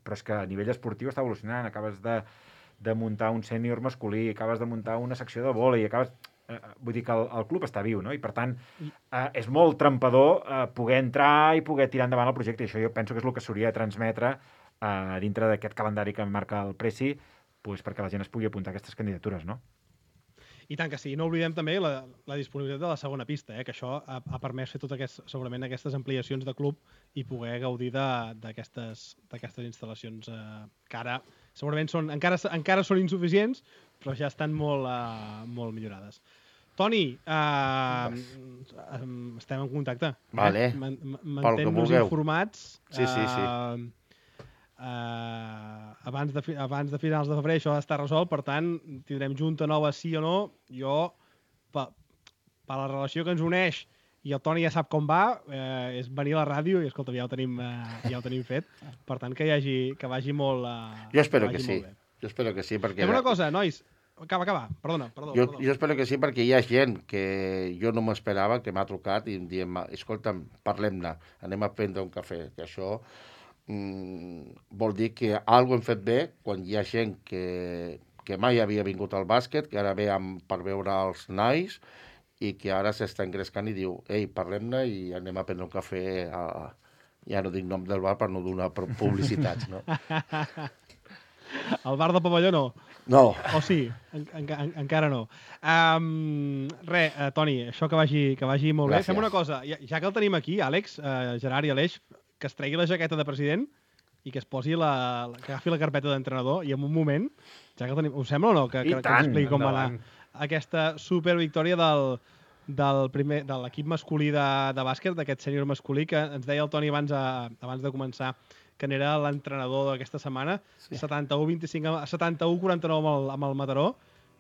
però és que a nivell esportiu està evolucionant. Acabes de muntar un sènior masculí, acabes de muntar una secció de vòlei, vull dir que el club està viu, no? I, per tant, és molt trampador poder entrar i poder tirar endavant el projecte, i això jo penso que és el que s'hauria de transmetre dintre d'aquest calendari que marca el Preci, perquè la gent es pugui apuntar a aquestes candidatures, no? I tant que sí. No oblidem també la disponibilitat de la segona pista, que això ha permès fer segurament aquestes ampliacions de club i poder gaudir d'aquestes instal·lacions que ara segurament encara són insuficients, però ja estan molt millorades. Toni, estem en contacte. Vale. Mantén-nos informats. Sí. Abans de finals de febrer això està resolt, per tant, tindrem junta nova sí o no. Jo, per la relació que ens uneix, i el Toni ja sap com va, és venir a la ràdio i, escolta, ja ho tenim fet. Per tant, que vagi molt... Jo espero que sí. Jo espero que sí, perquè... Fem una cosa, nois. Acaba. Perdona. Jo espero que sí, perquè hi ha gent que jo no m'esperava, que m'ha trucat i em diem, escolta'm, parlem-ne, anem a prendre un cafè. Que això vol dir que alguna hem fet bé quan hi ha gent que mai havia vingut al bàsquet, que ara ve per veure els nois, i que ara s'està engrescant i diu, ei, parlem-ne i anem a prendre un cafè, ja no dic nom del bar per no donar publicitats, no? El bar del pavelló no? No. O sí? Encara no. Toni, això que vagi molt bé. Gràcies. Fem una cosa, ja que el tenim aquí, Àlex, Gerard i Aleix, que es tregui la jaqueta de president i que es posi que agafi la carpeta d'entrenador i en un moment, ja que el tenim, us sembla o no? Que ens expliqui com va anar aquesta supervictòria de l'equip masculí de bàsquet, d'aquest sènior masculí, que ens deia el Toni abans de començar que n'era l'entrenador d'aquesta setmana, sí. 71-49 amb el Mataró.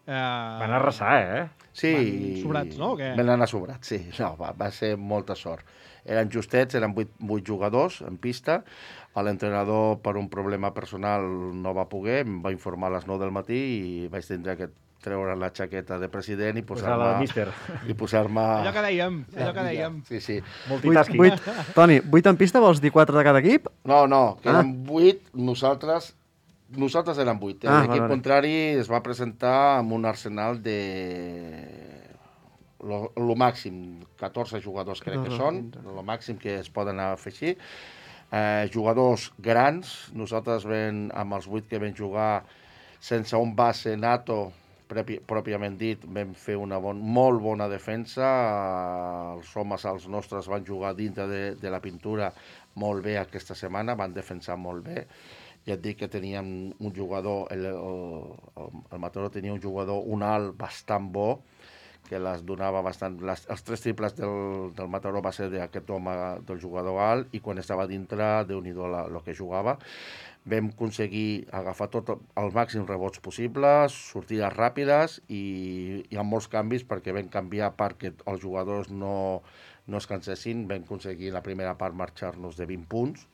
Van arrasar, Sí. Van sobrats, no? Van anar sobrats, sí. No, va ser molta sort. Eren justets, eren 8 jugadors en pista. L'entrenador, per un problema personal, no va poder, em va informar a les 9 del matí i vaig tindre que treure la jaqueta de president i posar-me... Allò que dèiem. Sí. Multitasking. Toni, 8 en pista vols dir 4 de cada equip? No, que eren 8, nosaltres érem 8. L'equip contrari es va presentar amb un arsenal de... Lo màxim, 14 jugadors crec que són, lo màxim que es poden afegir. Jugadors grans, nosaltres amb els 8 que vam jugar sense un base nato, pròpiament dit, vam fer una molt bona defensa. Els homes, els nostres, van jugar dintre de la pintura molt bé aquesta setmana, van defensar molt bé. Ja et dic que teníem un jugador, el Mataró tenia un jugador, un alt bastant bo, que les donava bastant... Els 3 triples del Mataró va ser d'aquest home, del jugador alt, i quan estava dintre, Déu-n'hi-do el que jugava. Vam aconseguir agafar tot els màxims rebots possibles, sortides ràpides i amb molts canvis, perquè vam canviar perquè els jugadors no es cansessin. Vam aconseguir la primera part marxar-nos de 20 punts.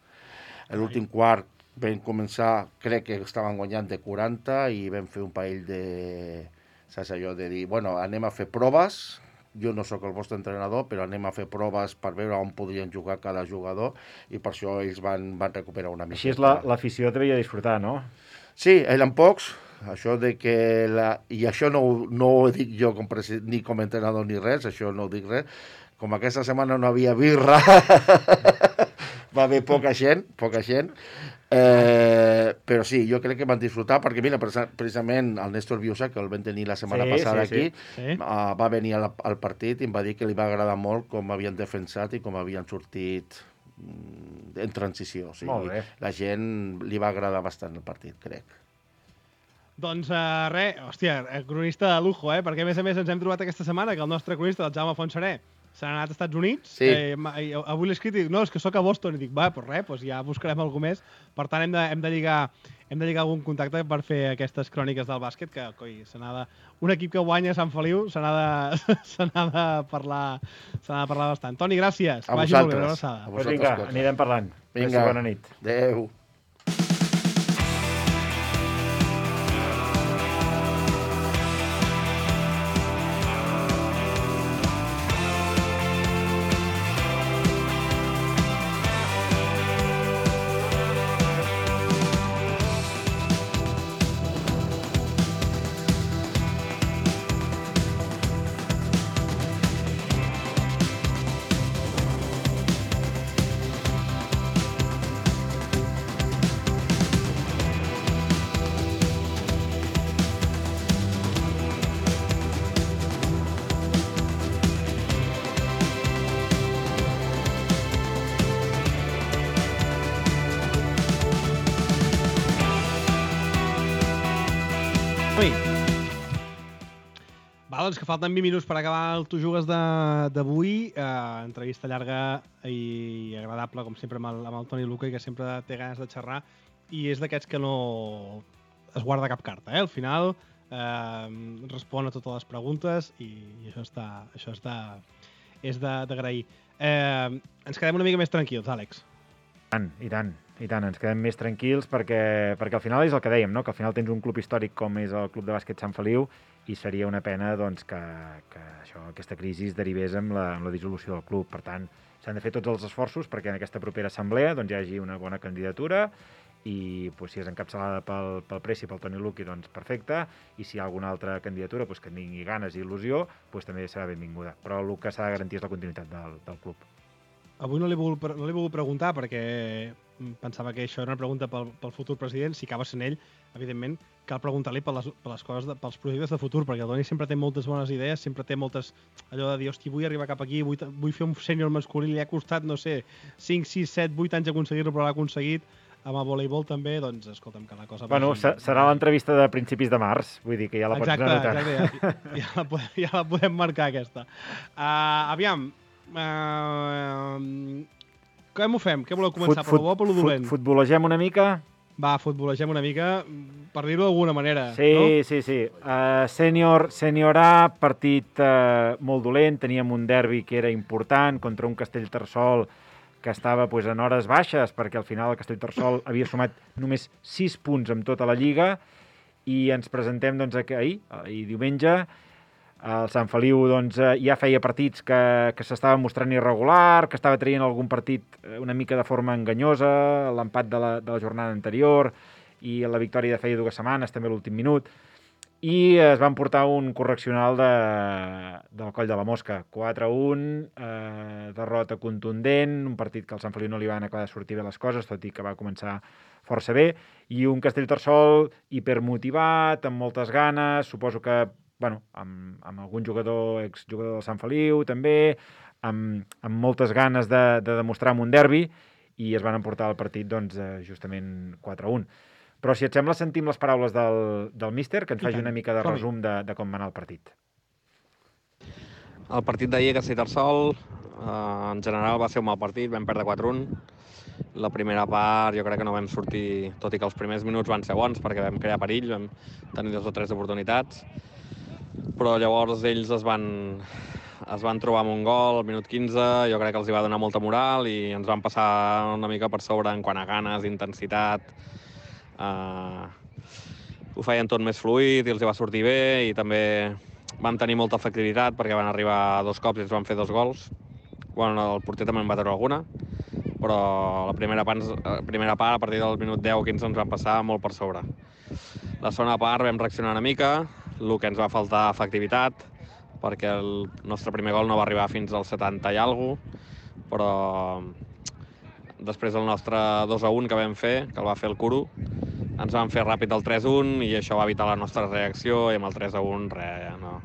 En l'últim quart vam començar, crec que estaven guanyant de 40 i vam fer un parell de... Saps allò de dir, bueno, anem a fer proves, jo no sóc el vostre entrenador, però anem a fer proves per veure on podrien jugar cada jugador i per això ells van recuperar una mica. Així és l'afició te veia disfrutar, no? Sí, eren pocs, això de que... I això no ho dic jo ni com a entrenador ni res, això no ho dic res. Com aquesta setmana no havia birra, va haver poca gent, però sí, jo crec que van disfrutar, perquè mira, precisament el Néstor Biusa, que el vam tenir la setmana passada aquí, va venir al partit i em va dir que li va agradar molt com havien defensat i com havien sortit en transició. O sigui, la gent li va agradar bastant el partit, crec. Doncs hòstia, cronista de lujo, perquè a més ens hem trobat aquesta setmana que el nostre cronista, el Jaume Fontserè, se n'ha anat als Estats Units. Sí. Avui l'he escrit i dic, no, és que sóc a Boston. I dic, doncs ja buscarem algú més. Per tant, hem de lligar algun contacte per fer aquestes cròniques del bàsquet, que un equip que guanya a Sant Feliu se n'ha de parlar bastant. Toni, gràcies. A vosaltres. Vinga, anirem parlant. Vinga, bona nit. Adéu. doncs que falten 20 minuts per acabar el Tu Jugues d'avui. Entrevista llarga i agradable, com sempre, amb el Toni Luca, que sempre té ganes de xerrar, i és d'aquests que no es guarda cap carta. Al final respon a totes les preguntes i això és d'agrair. Ens quedem una mica més tranquils, Àlex. I tant, ens quedem més tranquils perquè al final és el que dèiem, no? Que al final tens un club històric com és el Club de Bàsquet Sant Feliu i seria una pena doncs, que aquesta crisi es derivés amb la dissolució del club. Per tant, s'han de fer tots els esforços perquè en aquesta propera assemblea doncs, hi hagi una bona candidatura i doncs, si és encapçalada pel Preci, pel Toni Luqui, doncs perfecte, i si hi ha alguna altra candidatura doncs, que tingui ganes i il·lusió, doncs també serà benvinguda. Però el que s'ha de garantir és la continuïtat del club. Avui no l'he volgut preguntar perquè pensava que això era una pregunta pel futur president. Si acaba sent ell, evidentment, cal preguntar-li per les coses, pels projectes de futur, perquè el Toni sempre té moltes bones idees, sempre té moltes... Allò de dir, hosti, vull arribar cap aquí, vull fer un sènior masculí, li ha costat, no sé, 5, 6, 7, 8 anys aconseguir-lo, però l'ha aconseguit. Amb el voleibol també, doncs, escolta'm, que la cosa... Bueno, serà l'entrevista de principis de març, vull dir que ja la pots anotar. Exacte, ja la podem marcar, aquesta. Aviam, com ho fem? Què voleu començar? Per lo bo o per lo dolent? Futbolegem una mica? Va, futbolegem una mica, per dir-ho d'alguna manera. Sí, no? Sí. Sènior A, partit molt dolent. Teníem un derbi que era important contra un Castellterçol que estava en hores baixes, perquè al final el Castellterçol havia sumat només 6 punts en tota la Lliga, i ens presentem ahir, diumenge. El Sant Feliu ja feia partits que s'estava mostrant irregular, que estava traient algun partit una mica de forma enganyosa, l'empat de la jornada anterior i la victòria de feia 2 setmanes, també l'últim minut, i es van portar un correccional del Coll de la Mosca. 4-1, derrota contundent, un partit que al Sant Feliu no li van acabar de sortir bé les coses, tot i que va començar força bé, i un Castellterçol hipermotivat, amb moltes ganes, suposo que amb algun jugador, exjugador del Sant Feliu també, amb moltes ganes de demostrar en un derbi, i es van emportar el partit justament 4-1. Però si et sembla sentim les paraules del míster, que ens faci una mica de resum de com va anar el partit. El partit d'ahir a Castellterçol en general va ser un mal partit, vam perdre 4-1. La primera part jo crec que no vam sortir, tot i que els primers minuts van ser bons perquè vam crear perill, vam tenir 2 o 3 oportunitats, però llavors ells es van trobar amb un gol al minut 15, jo crec que els hi va donar molta moral i ens van passar una mica per sobre en quant a ganes, intensitat. Ho feien tot més fluid i els hi va sortir bé, i també van tenir molta efectivitat perquè van arribar 2 cops i ens van fer 2 gols. Bueno, el porter també en va treure alguna, però la primera part, a partir del minut 10 o 15, ens van passar molt per sobre. La segona part vam reaccionar una mica, el que ens va faltar efectivitat, perquè el nostre primer gol no va arribar fins al 70 i alguna cosa, però després del nostre 2-1 que vam fer, que el va fer el Curo, ens van fer ràpid el 3-1 i això va evitar la nostra reacció, i amb el 3-1 res, no.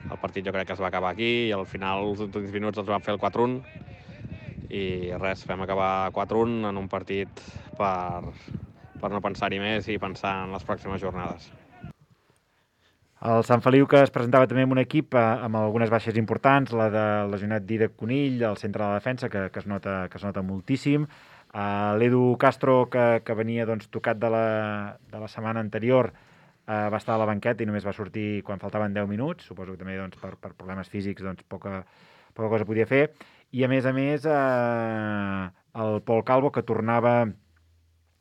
El partit jo crec que es va acabar aquí i al final, els últims minuts, ens van fer el 4-1 i res, vam acabar 4-1 en un partit per no pensar-hi més i pensar en les pròximes jornades. El Sant Feliu, que es presentava també amb un equip amb algunes baixes importants, la de lesionat Dídac Conill, el centre de la defensa, que es nota moltíssim. L'Edu Castro, que venia tocat de la setmana anterior, va estar a la banqueta i només va sortir quan faltaven 10 minuts. Suposo que també per problemes físics poca cosa podia fer. I a més, el Pol Calvo, que tornava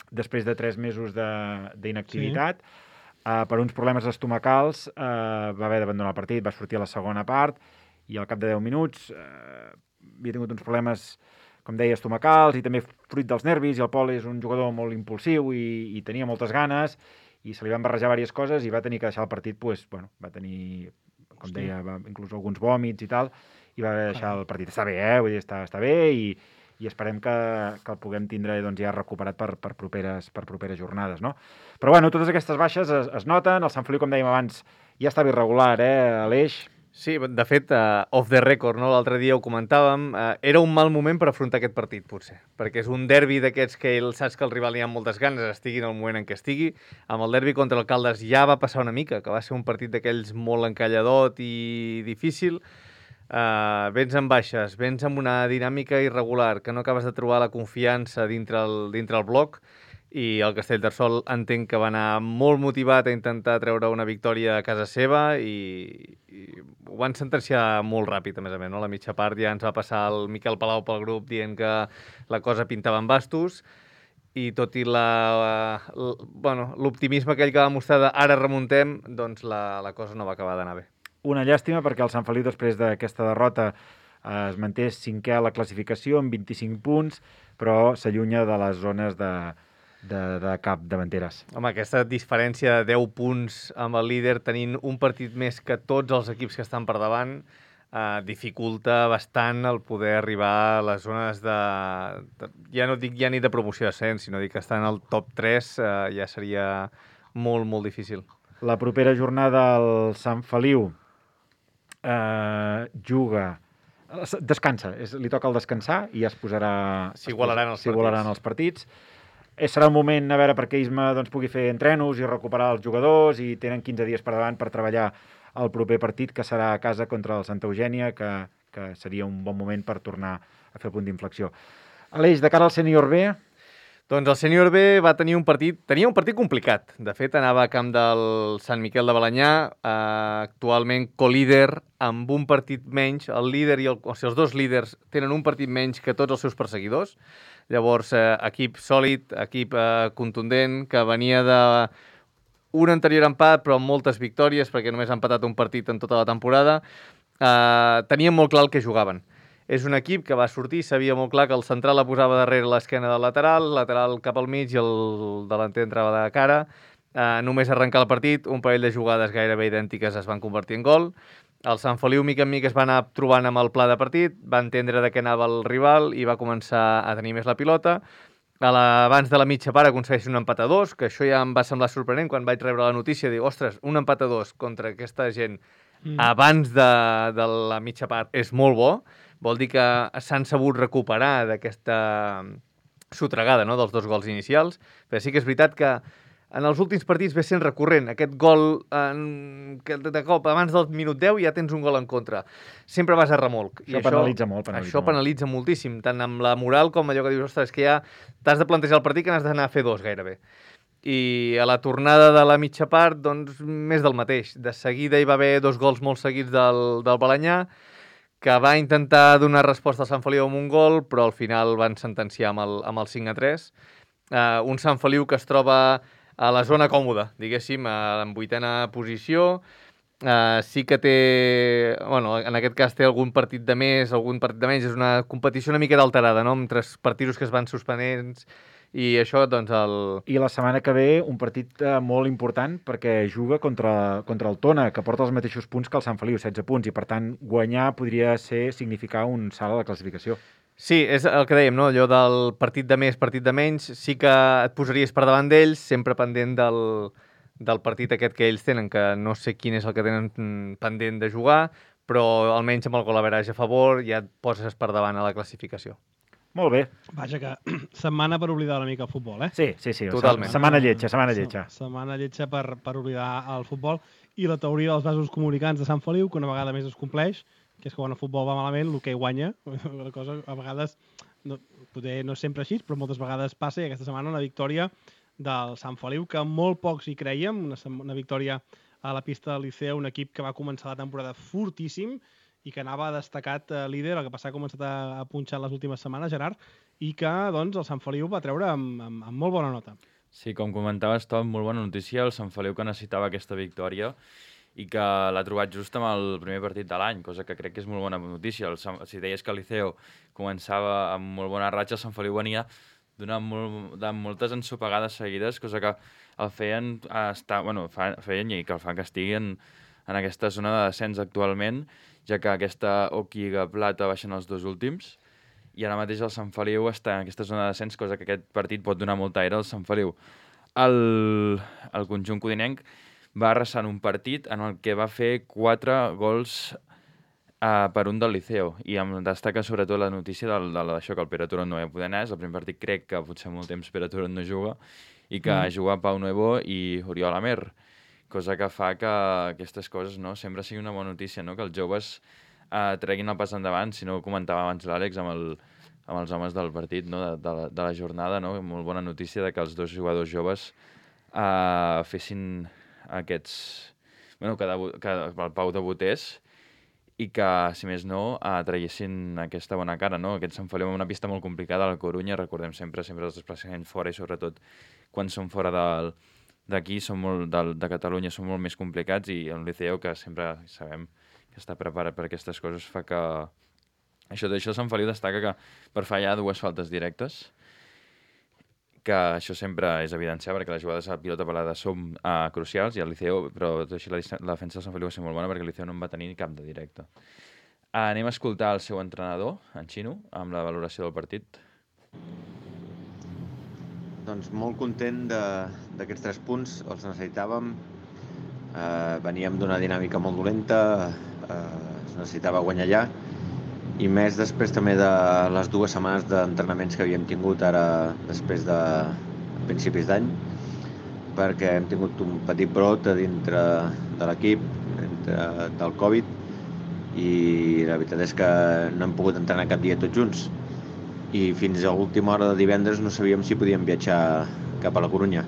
després de 3 mesos d'inactivitat, per uns problemes estomacals, va haver d'abandonar el partit, va sortir a la segona part i al cap de 10 minuts havia tingut uns problemes, com deia, estomacals i també fruit dels nervis, i el Pol és un jugador molt impulsiu i tenia moltes ganes i se li van barrejar diverses coses i va tenir que deixar el partit, va tenir, com deia, inclús alguns vòmits i tal, i va haver de deixar el partit. Està bé, vull dir, està bé, i esperem que el puguem tindre ja recuperat per properes jornades, no? Però totes aquestes baixes es noten. El Sant Feliu, com dèiem abans, ja estava irregular, Aleix? Sí, de fet, off the record, no? L'altre dia ho comentàvem, era un mal moment per afrontar aquest partit, potser, perquè és un derbi d'aquests que saps que el rival hi ha moltes ganes, estigui en el moment en què estigui. Amb el derbi contra el Caldes ja va passar una mica, que va ser un partit d'aquells molt encalladot i difícil. Vens amb baixes, vens amb una dinàmica irregular, que no acabes de trobar la confiança dintre el bloc, i el Castellterçol entenc que va anar molt motivat a intentar treure una victòria a casa seva i ho van sentenciar molt ràpid, a més, no? La mitja part ja ens va passar el Miquel Palau pel grup dient que la cosa pintava en bastos i tot i l'optimisme aquell que va mostrar de ara remuntem, doncs la cosa no va acabar d'anar bé. Una llàstima perquè el Sant Feliu, després d'aquesta derrota, es manté 5è a la classificació amb 25 punts, però s'allunya de les zones de cap davanteres. Home, aquesta diferència de 10 punts amb el líder tenint un partit més que tots els equips que estan per davant dificulta bastant el poder arribar a les zones ja no dic ja ni de promoció d'ascens, sinó dic que estar en el top 3 ja seria molt, molt difícil. La propera jornada el Sant Feliu descansa, li toca el descansar i ja es posarà... S'igualaran els partits. Serà un moment a veure perquè Isma pugui fer entrenos i recuperar els jugadors i tenen 15 dies per davant per treballar el proper partit, que serà a casa contra el Santa Eugènia, que seria un bon moment per tornar a fer punt d'inflexió. Aleix, de cara al sènior B... Doncs el sènior B tenia un partit complicat. De fet, anava a camp del Sant Miquel de Balenyà, actualment colíder, amb un partit menys. El líder els dos líders tenen un partit menys que tots els seus perseguidors. Llavors, equip sòlid, equip contundent, que venia d'un anterior empat, però amb moltes victòries, perquè només ha empatat un partit en tota la temporada. Tenien molt clar el que jugaven. És un equip que va sortir, sabia molt clar que el central la posava darrere l'esquena del lateral cap al mig i el delanter entrava de cara. Només arrencar el partit, un parell de jugades gairebé idèntiques es van convertir en gol. El Sant Feliu, mica en mica, es va anar trobant amb el pla de partit, va entendre de què anava el rival i va començar a tenir més la pilota. Abans de la mitja part aconsegueix un empat a 2, que això ja em va semblar sorprenent quan vaig rebre la notícia. Dic, ostres, un empat a 2 contra aquesta gent abans de la mitja part és molt bo. Vol dir que s'han sabut recuperar d'aquesta sotregada, no?, dels 2 gols inicials. Però sí que és veritat que en els últims partits ve sent recurrent. Aquest gol, que de cop, abans del minut 10 ja tens un gol en contra. Sempre vas a remolc. Això penalitza molt. Això penalitza moltíssim, tant amb la moral com allò que dius, ostres, que ja t'has de plantejar el partit que n'has d'anar a fer 2 gairebé. I a la tornada de la mitja part, doncs, més del mateix. De seguida hi va haver 2 gols molt seguits del Balenyà, que va intentar donar resposta al Sant Feliu amb un gol, però al final van sentenciar amb el 5-3. Un Sant Feliu que es troba a la zona còmoda, diguéssim, en 8a posició. Sí que té... Bueno, en aquest cas té algun partit de més, algun partit de menys. És una competició una mica alterada, no?, amb 3 partits que es van suspenents. I això, doncs, I la setmana que ve, un partit molt important, perquè juga contra el Tona, que porta els mateixos punts que el Sant Feliu, 16 punts, i per tant, guanyar podria significar un salt a la classificació. Sí, és el que dèiem, no?, allò del partit de més, partit de menys, sí que et posaries per davant d'ells, sempre pendent del partit aquest que ells tenen, que no sé quin és el que tenen pendent de jugar, però almenys amb el golaveratge a favor ja et poses per davant a la classificació. Molt bé. Vaja, que setmana per oblidar una mica el futbol, eh? Sí. Totalment. Setmana lletja. Setmana lletja per oblidar el futbol i la teoria dels vasos comunicants de Sant Feliu, que una vegada més es compleix, que és que quan el futbol va malament, l'hoquei guanya. La cosa, a vegades, potser no és sempre així, però moltes vegades passa, i aquesta setmana una victòria del Sant Feliu, que molt pocs hi creiem, una victòria a la pista del Liceu, un equip que va començar la temporada fortíssim, i que anava destacat líder, el que passa ha començat a punxar les últimes setmanes, Gerard, i que doncs, el Sant Feliu va treure amb molt bona nota. Sí, com comentaves, Tom, molt bona notícia. El Sant Feliu que necessitava aquesta victòria i que l'ha trobat just amb el primer partit de l'any, cosa que crec que és molt bona notícia. Si deies que el Liceu començava amb molt bona ratxa, el Sant Feliu venia de moltes ensopegades seguides, cosa que el feien feien i que el fan que estigui en aquesta zona de descens actualment, ja que aquesta Oquiga Plata baixen els 2 últims, i ara mateix el Sant Feliu està en aquesta zona de descens, cosa que aquest partit pot donar molta aire al Sant Feliu. El conjunt codinenc va arrasar un partit en el que va fer 4 gols per un del Liceo, i em destaca sobretot la notícia d'això, que el Pere Turón no va poder anar. És el primer partit, crec que potser molt temps Pere Turón no juga, i que juga Pau Nuevo i Oriol Amer, cosa que fa que aquestes coses, no, sempre sigui una bona notícia, no? Que els joves treguin el pas endavant. Si no, ho comentava abans l'Àlex amb els homes del partit, no? de la jornada, no? Molt bona notícia de que els dos jugadors joves fessin aquests... Bueno, que el Pau debutés, i que, si més no, traguessin aquesta bona cara, no? Aquest Sant Feliu en una pista molt complicada a la Corunya, recordem sempre els desplaçaments fora, i sobretot quan són fora d'aquí, de Catalunya, són molt més complicats, i el Liceu, que sempre sabem que està preparat per aquestes coses, fa que... Això Sant Feliu destaca que per fallar 2 faltes directes, que això sempre és evidenciar, perquè les jugades a pilota parada són crucials, i el Liceu, però tot així la defensa del Sant Feliu va ser molt bona, perquè el Liceu no en va tenir cap de directe. Anem a escoltar el seu entrenador, en Xino, amb la valoració del partit. Doncs molt content d'aquests 3 punts, els necessitàvem. Veníem d'una dinàmica molt dolenta, es necessitava guanyar allà, i més després també de les 2 setmanes d'entrenaments que havíem tingut ara després de principis d'any, perquè hem tingut un petit brot a dintre de l'equip, del Covid, i la veritat és que no hem pogut entrenar cap dia tots junts. I fins a l'última hora de divendres no sabíem si podíem viatjar cap a la Corunya,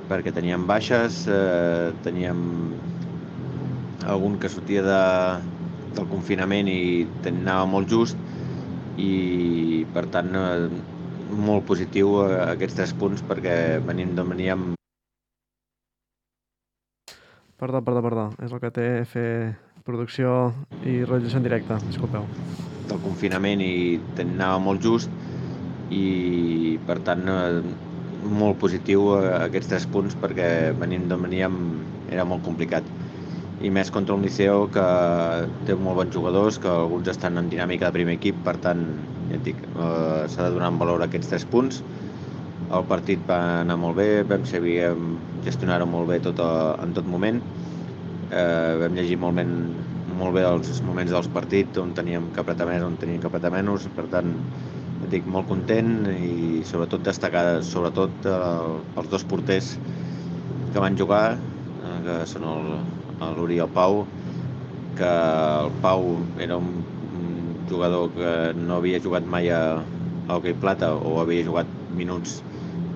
perquè teníem baixes, teníem algun que sortia del confinament i anava molt just, i per tant molt positiu aquests 3 punts, perquè veníem... Perdó. És el que té fer producció i realització en directe. Disculpeu. Del confinament i anava molt just, i per tant molt positiu aquests 3 punts, perquè veníem era molt complicat. I més contra un Liceu que té molt bons jugadors, que alguns estan en dinàmica de primer equip, per tant, ja et dic, s'ha de donar en valor aquests 3 punts. El partit va anar molt bé, vam saber gestionar-ho molt bé en tot moment. Vam llegir molt bé els moments dels partits, on teníem que apretar més, on teníem que apretar menys. Per tant, ja et dic, molt content, i sobretot destacar els 2 porters que van jugar, que són l'Uri i el Pau, que el Pau era un jugador que no havia jugat mai a hoquei plata, o havia jugat minuts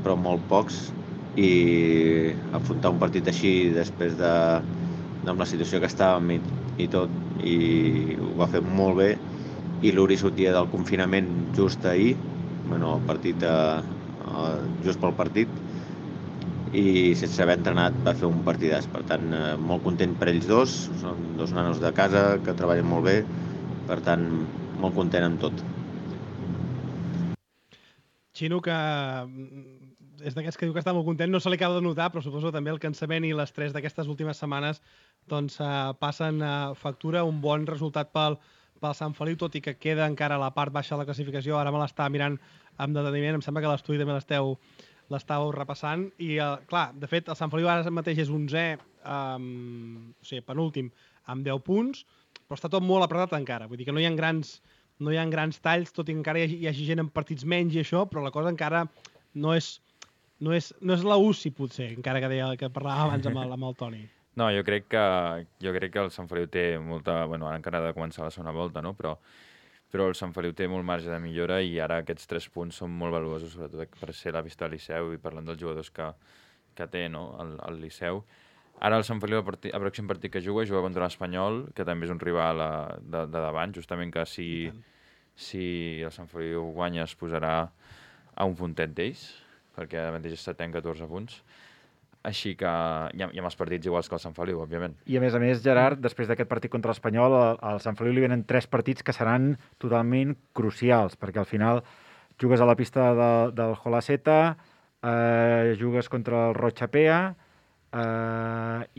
però molt pocs, i afrontar un partit així després amb la situació que estàvem i tot, i ho va fer molt bé. I l'Uri sortia del confinament just ahir, el partit just pel partit, i sense haver entrenat va fer un partidàs. Per tant, molt content per ells dos, són 2 nanos de casa que treballen molt bé, per tant, molt content amb tot. Xino, que és d'aquests que diu que està molt content, no se li acaba de notar, però suposo també el cansament i l'estrès d'aquestes últimes setmanes doncs passen factura. Un bon resultat pel Sant Feliu, tot i que queda encara a la part baixa de la classificació. Ara me l'està mirant amb deteniment, em sembla que l'estudi també l'estàveu repassant, i clar, de fet el Sant Feliu ara mateix és 11è, o sigui, penúltim, amb 10 punts, però està tot molt apretat encara, vull dir que no hi ha grans talls, tot i que encara hi hagi gent en partits menys i això, però la cosa encara no és la UCI, potser, encara que parlàvem abans amb el Toni. No, jo crec que el Sant Feliu té molta... Bueno, ara encara ha de començar la segona volta, no? Però el Sant Feliu té molt marge de millora, i ara aquests 3 punts són molt valuosos, sobretot per ser la vista del Liceu, i parlant dels jugadors que té, no? el Liceu. Ara el Sant Feliu, el pròxim partit que juga contra l'Espanyol, que també és un rival de davant, justament que si el Sant Feliu guanya es posarà a un puntet d'ells, perquè ara mateix és 7è amb 14 punts. Així que hi ha els partits iguals que el Sant Feliu, òbviament. I a més, Gerard, després d'aquest partit contra l'Espanyol, al Sant Feliu li venen 3 partits que seran totalment crucials, perquè al final jugues a la pista del Holaceta, jugues contra el Rochapea,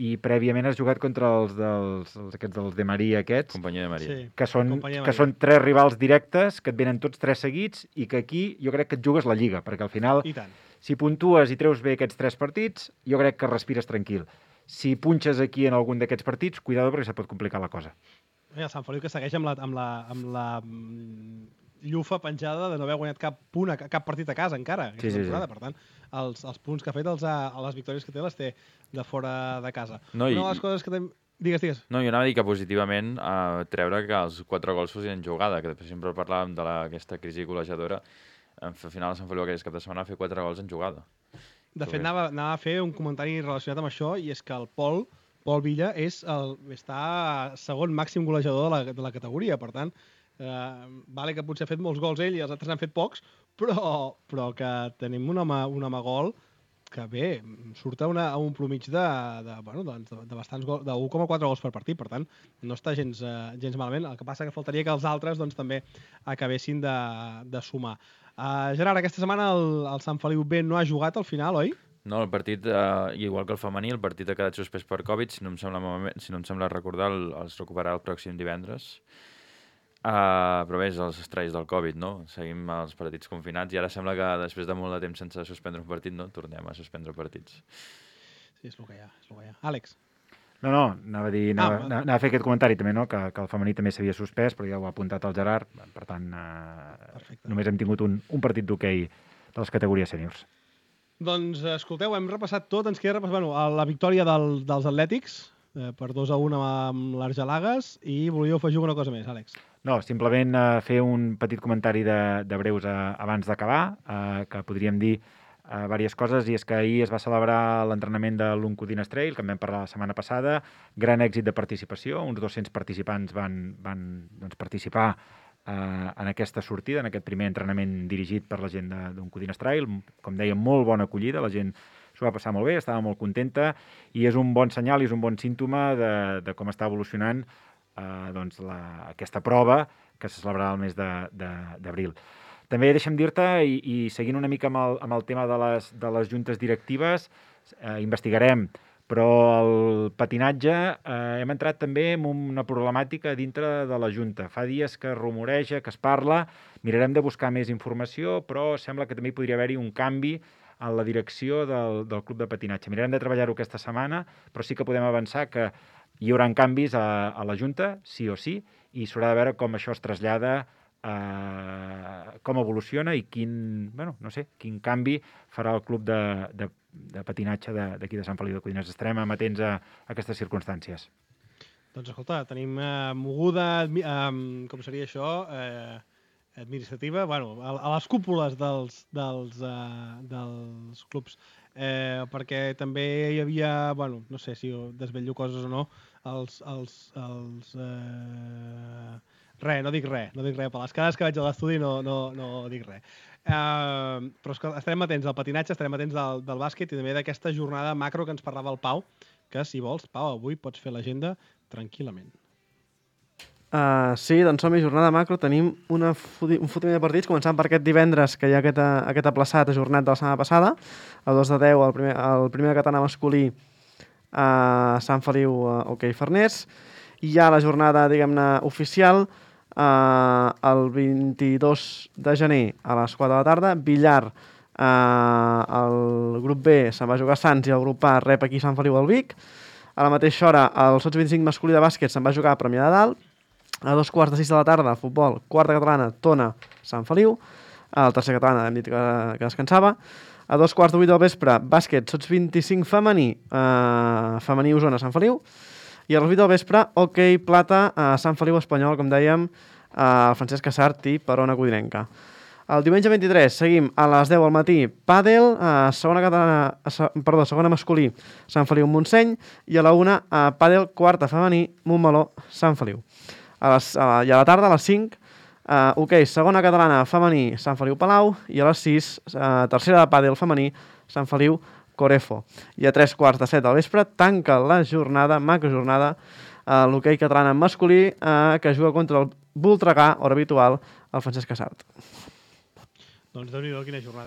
i prèviament has jugat contra els dels de Maria aquests, Companyia de Maria. Sí. que són 3 rivals directes, que et venen tots 3 seguits, i que aquí jo crec que et jugues la Lliga, perquè al final, I tant. si puntues i treus bé aquests 3 partits, jo crec que respires tranquil. Si punxes aquí en algun d'aquests partits, cuidado, perquè se pot complicar la cosa. El Sant Feliu que segueix amb la llufa penjada de no haver guanyat cap partit a casa encara aquesta temporada. Per tant, els punts que ha fet, les victòries que té, les té de fora de casa. No, Una de les coses que... Digues. No, jo anava a dir que positivament treure que els 4 gols fossin jugada, que després sempre parlàvem d'aquesta crisi golejadora. Al final el Sant Feliu aquest cap de setmana va fer 4 gols en jugada. De fet, anava a fer un comentari relacionat amb això, i és que el Pol Villa està segon màxim golejador de la categoria. Per tant, vale que potser ha fet molts gols ell i els altres n'han fet pocs, però que tenim un home gol que bé, surt a un plomig de bastants gols, de 1,4 gols per partit. Per tant, no està gens malament. El que passa que faltaria que els altres també acabessin de sumar. Gerard, aquesta setmana el Sant Feliu B no ha jugat al final, oi? No, el partit, igual que el femení, el partit ha quedat suspès per Covid, si no em sembla recordar, els recuperarà el pròxim divendres. Però bé, és els estralls del Covid, no? Seguim els partits confinats i ara sembla que després de molt de temps sense suspendre un partit, no? Tornem a suspendre partits. Sí, és el que hi ha. Àlex? No, anava a fer aquest comentari també, no? Que el femení també s'havia suspès, però ja ho ha apuntat el Gerard. Per tant, només hem tingut un partit d'hoquei de les categories sèniors. Doncs, escolteu, hem repassat tot. Ens queda repassar la victòria dels Atlètics per 2-1 amb l'Argelagues, i volíeu afegir alguna cosa més, Àlex? No, simplement fer un petit comentari de breus abans d'acabar, que podríem dir diverses coses, i és que ahir es va celebrar l'entrenament de l'Uncudines Trail, que en vam parlar la setmana passada, gran èxit de participació, uns 200 participants van participar en aquesta sortida, en aquest primer entrenament dirigit per la gent d'Uncudines Trail. Com deia, molt bona acollida, la gent s'ho va passar molt bé, estava molt contenta, i és un bon senyal i és un bon símptoma de com està evolucionant aquesta prova que se celebrarà el mes d'abril. També deixa'm dir-te, i seguint una mica amb el tema de les juntes directives, investigarem, però el patinatge hem entrat també en una problemàtica dintre de la Junta. Fa dies que es rumoreja, que es parla, mirarem de buscar més informació, però sembla que també hi podria haver-hi un canvi en la direcció del club de patinatge. Mirarem de treballar-ho aquesta setmana, però sí que podem avançar que hi haurà canvis a la Junta, sí o sí, i s'haurà de veure com això es trasllada, com evoluciona i quin canvi farà el club de patinatge d'aquí de Sant Feliu de Codines. Estarem amatents a aquestes circumstàncies. Doncs escolta, tenim moguda, com seria això, administrativa, a les cúpules dels clubs, perquè també hi havia, no sé si desvetllo coses o no, no dic res, per les cares que veig a l'estudi no dic res. Però estarem atents al patinatge, estarem atents del bàsquet i també d'aquesta jornada macro que ens parlava el Pau, que si vols, Pau, avui pots fer l'agenda tranquil·lament. Sí, doncs som-hi, jornada macro, tenim un fotiment de partits, començant per aquest divendres, que hi ha aquest aplaçat ajornat de la setmana passada, a 2-10, el primer català masculí a Sant Feliu, hoquei Farners, i hi ha la jornada, diguem-ne, oficial, el 22 de gener a les 4 de la tarda, billar, el grup B se'n va jugar a Sants i el grup A rep aquí Sant Feliu al Vic. A la mateixa hora, el Sots 25 masculí de bàsquet se'n va jugar a Premià de Dalt. A 2:45 de la tarda, futbol, quarta catalana, Tona, Sant Feliu. El tercer catalana hem dit que descansava. A 2:15 del vespre, bàsquet, Sots 25 femení, femení Osona, Sant Feliu. I a les 8 del vespre, hoquei plata a Sant Feliu Espanyol, com dèiem, el Francesc Casart i Perona Codinenca. El diumenge 23 seguim a les 10 al matí, pàdel, segona masculí, Sant Feliu Montseny, i a la 1, pàdel, quarta femení, Montmeló, Sant Feliu. I a la tarda, a les 5, hoquei, segona catalana femení, Sant Feliu Palau, i a les 6, tercera de pàdel femení, Sant Feliu Corefo. I a 3:15 del vespre tanca la jornada, macrojornada, l'hoquei catalana masculí, que juga contra el Voltregà, hora habitual, el Francesc Casart. Doncs Déu-n'hi-do, quina jornada.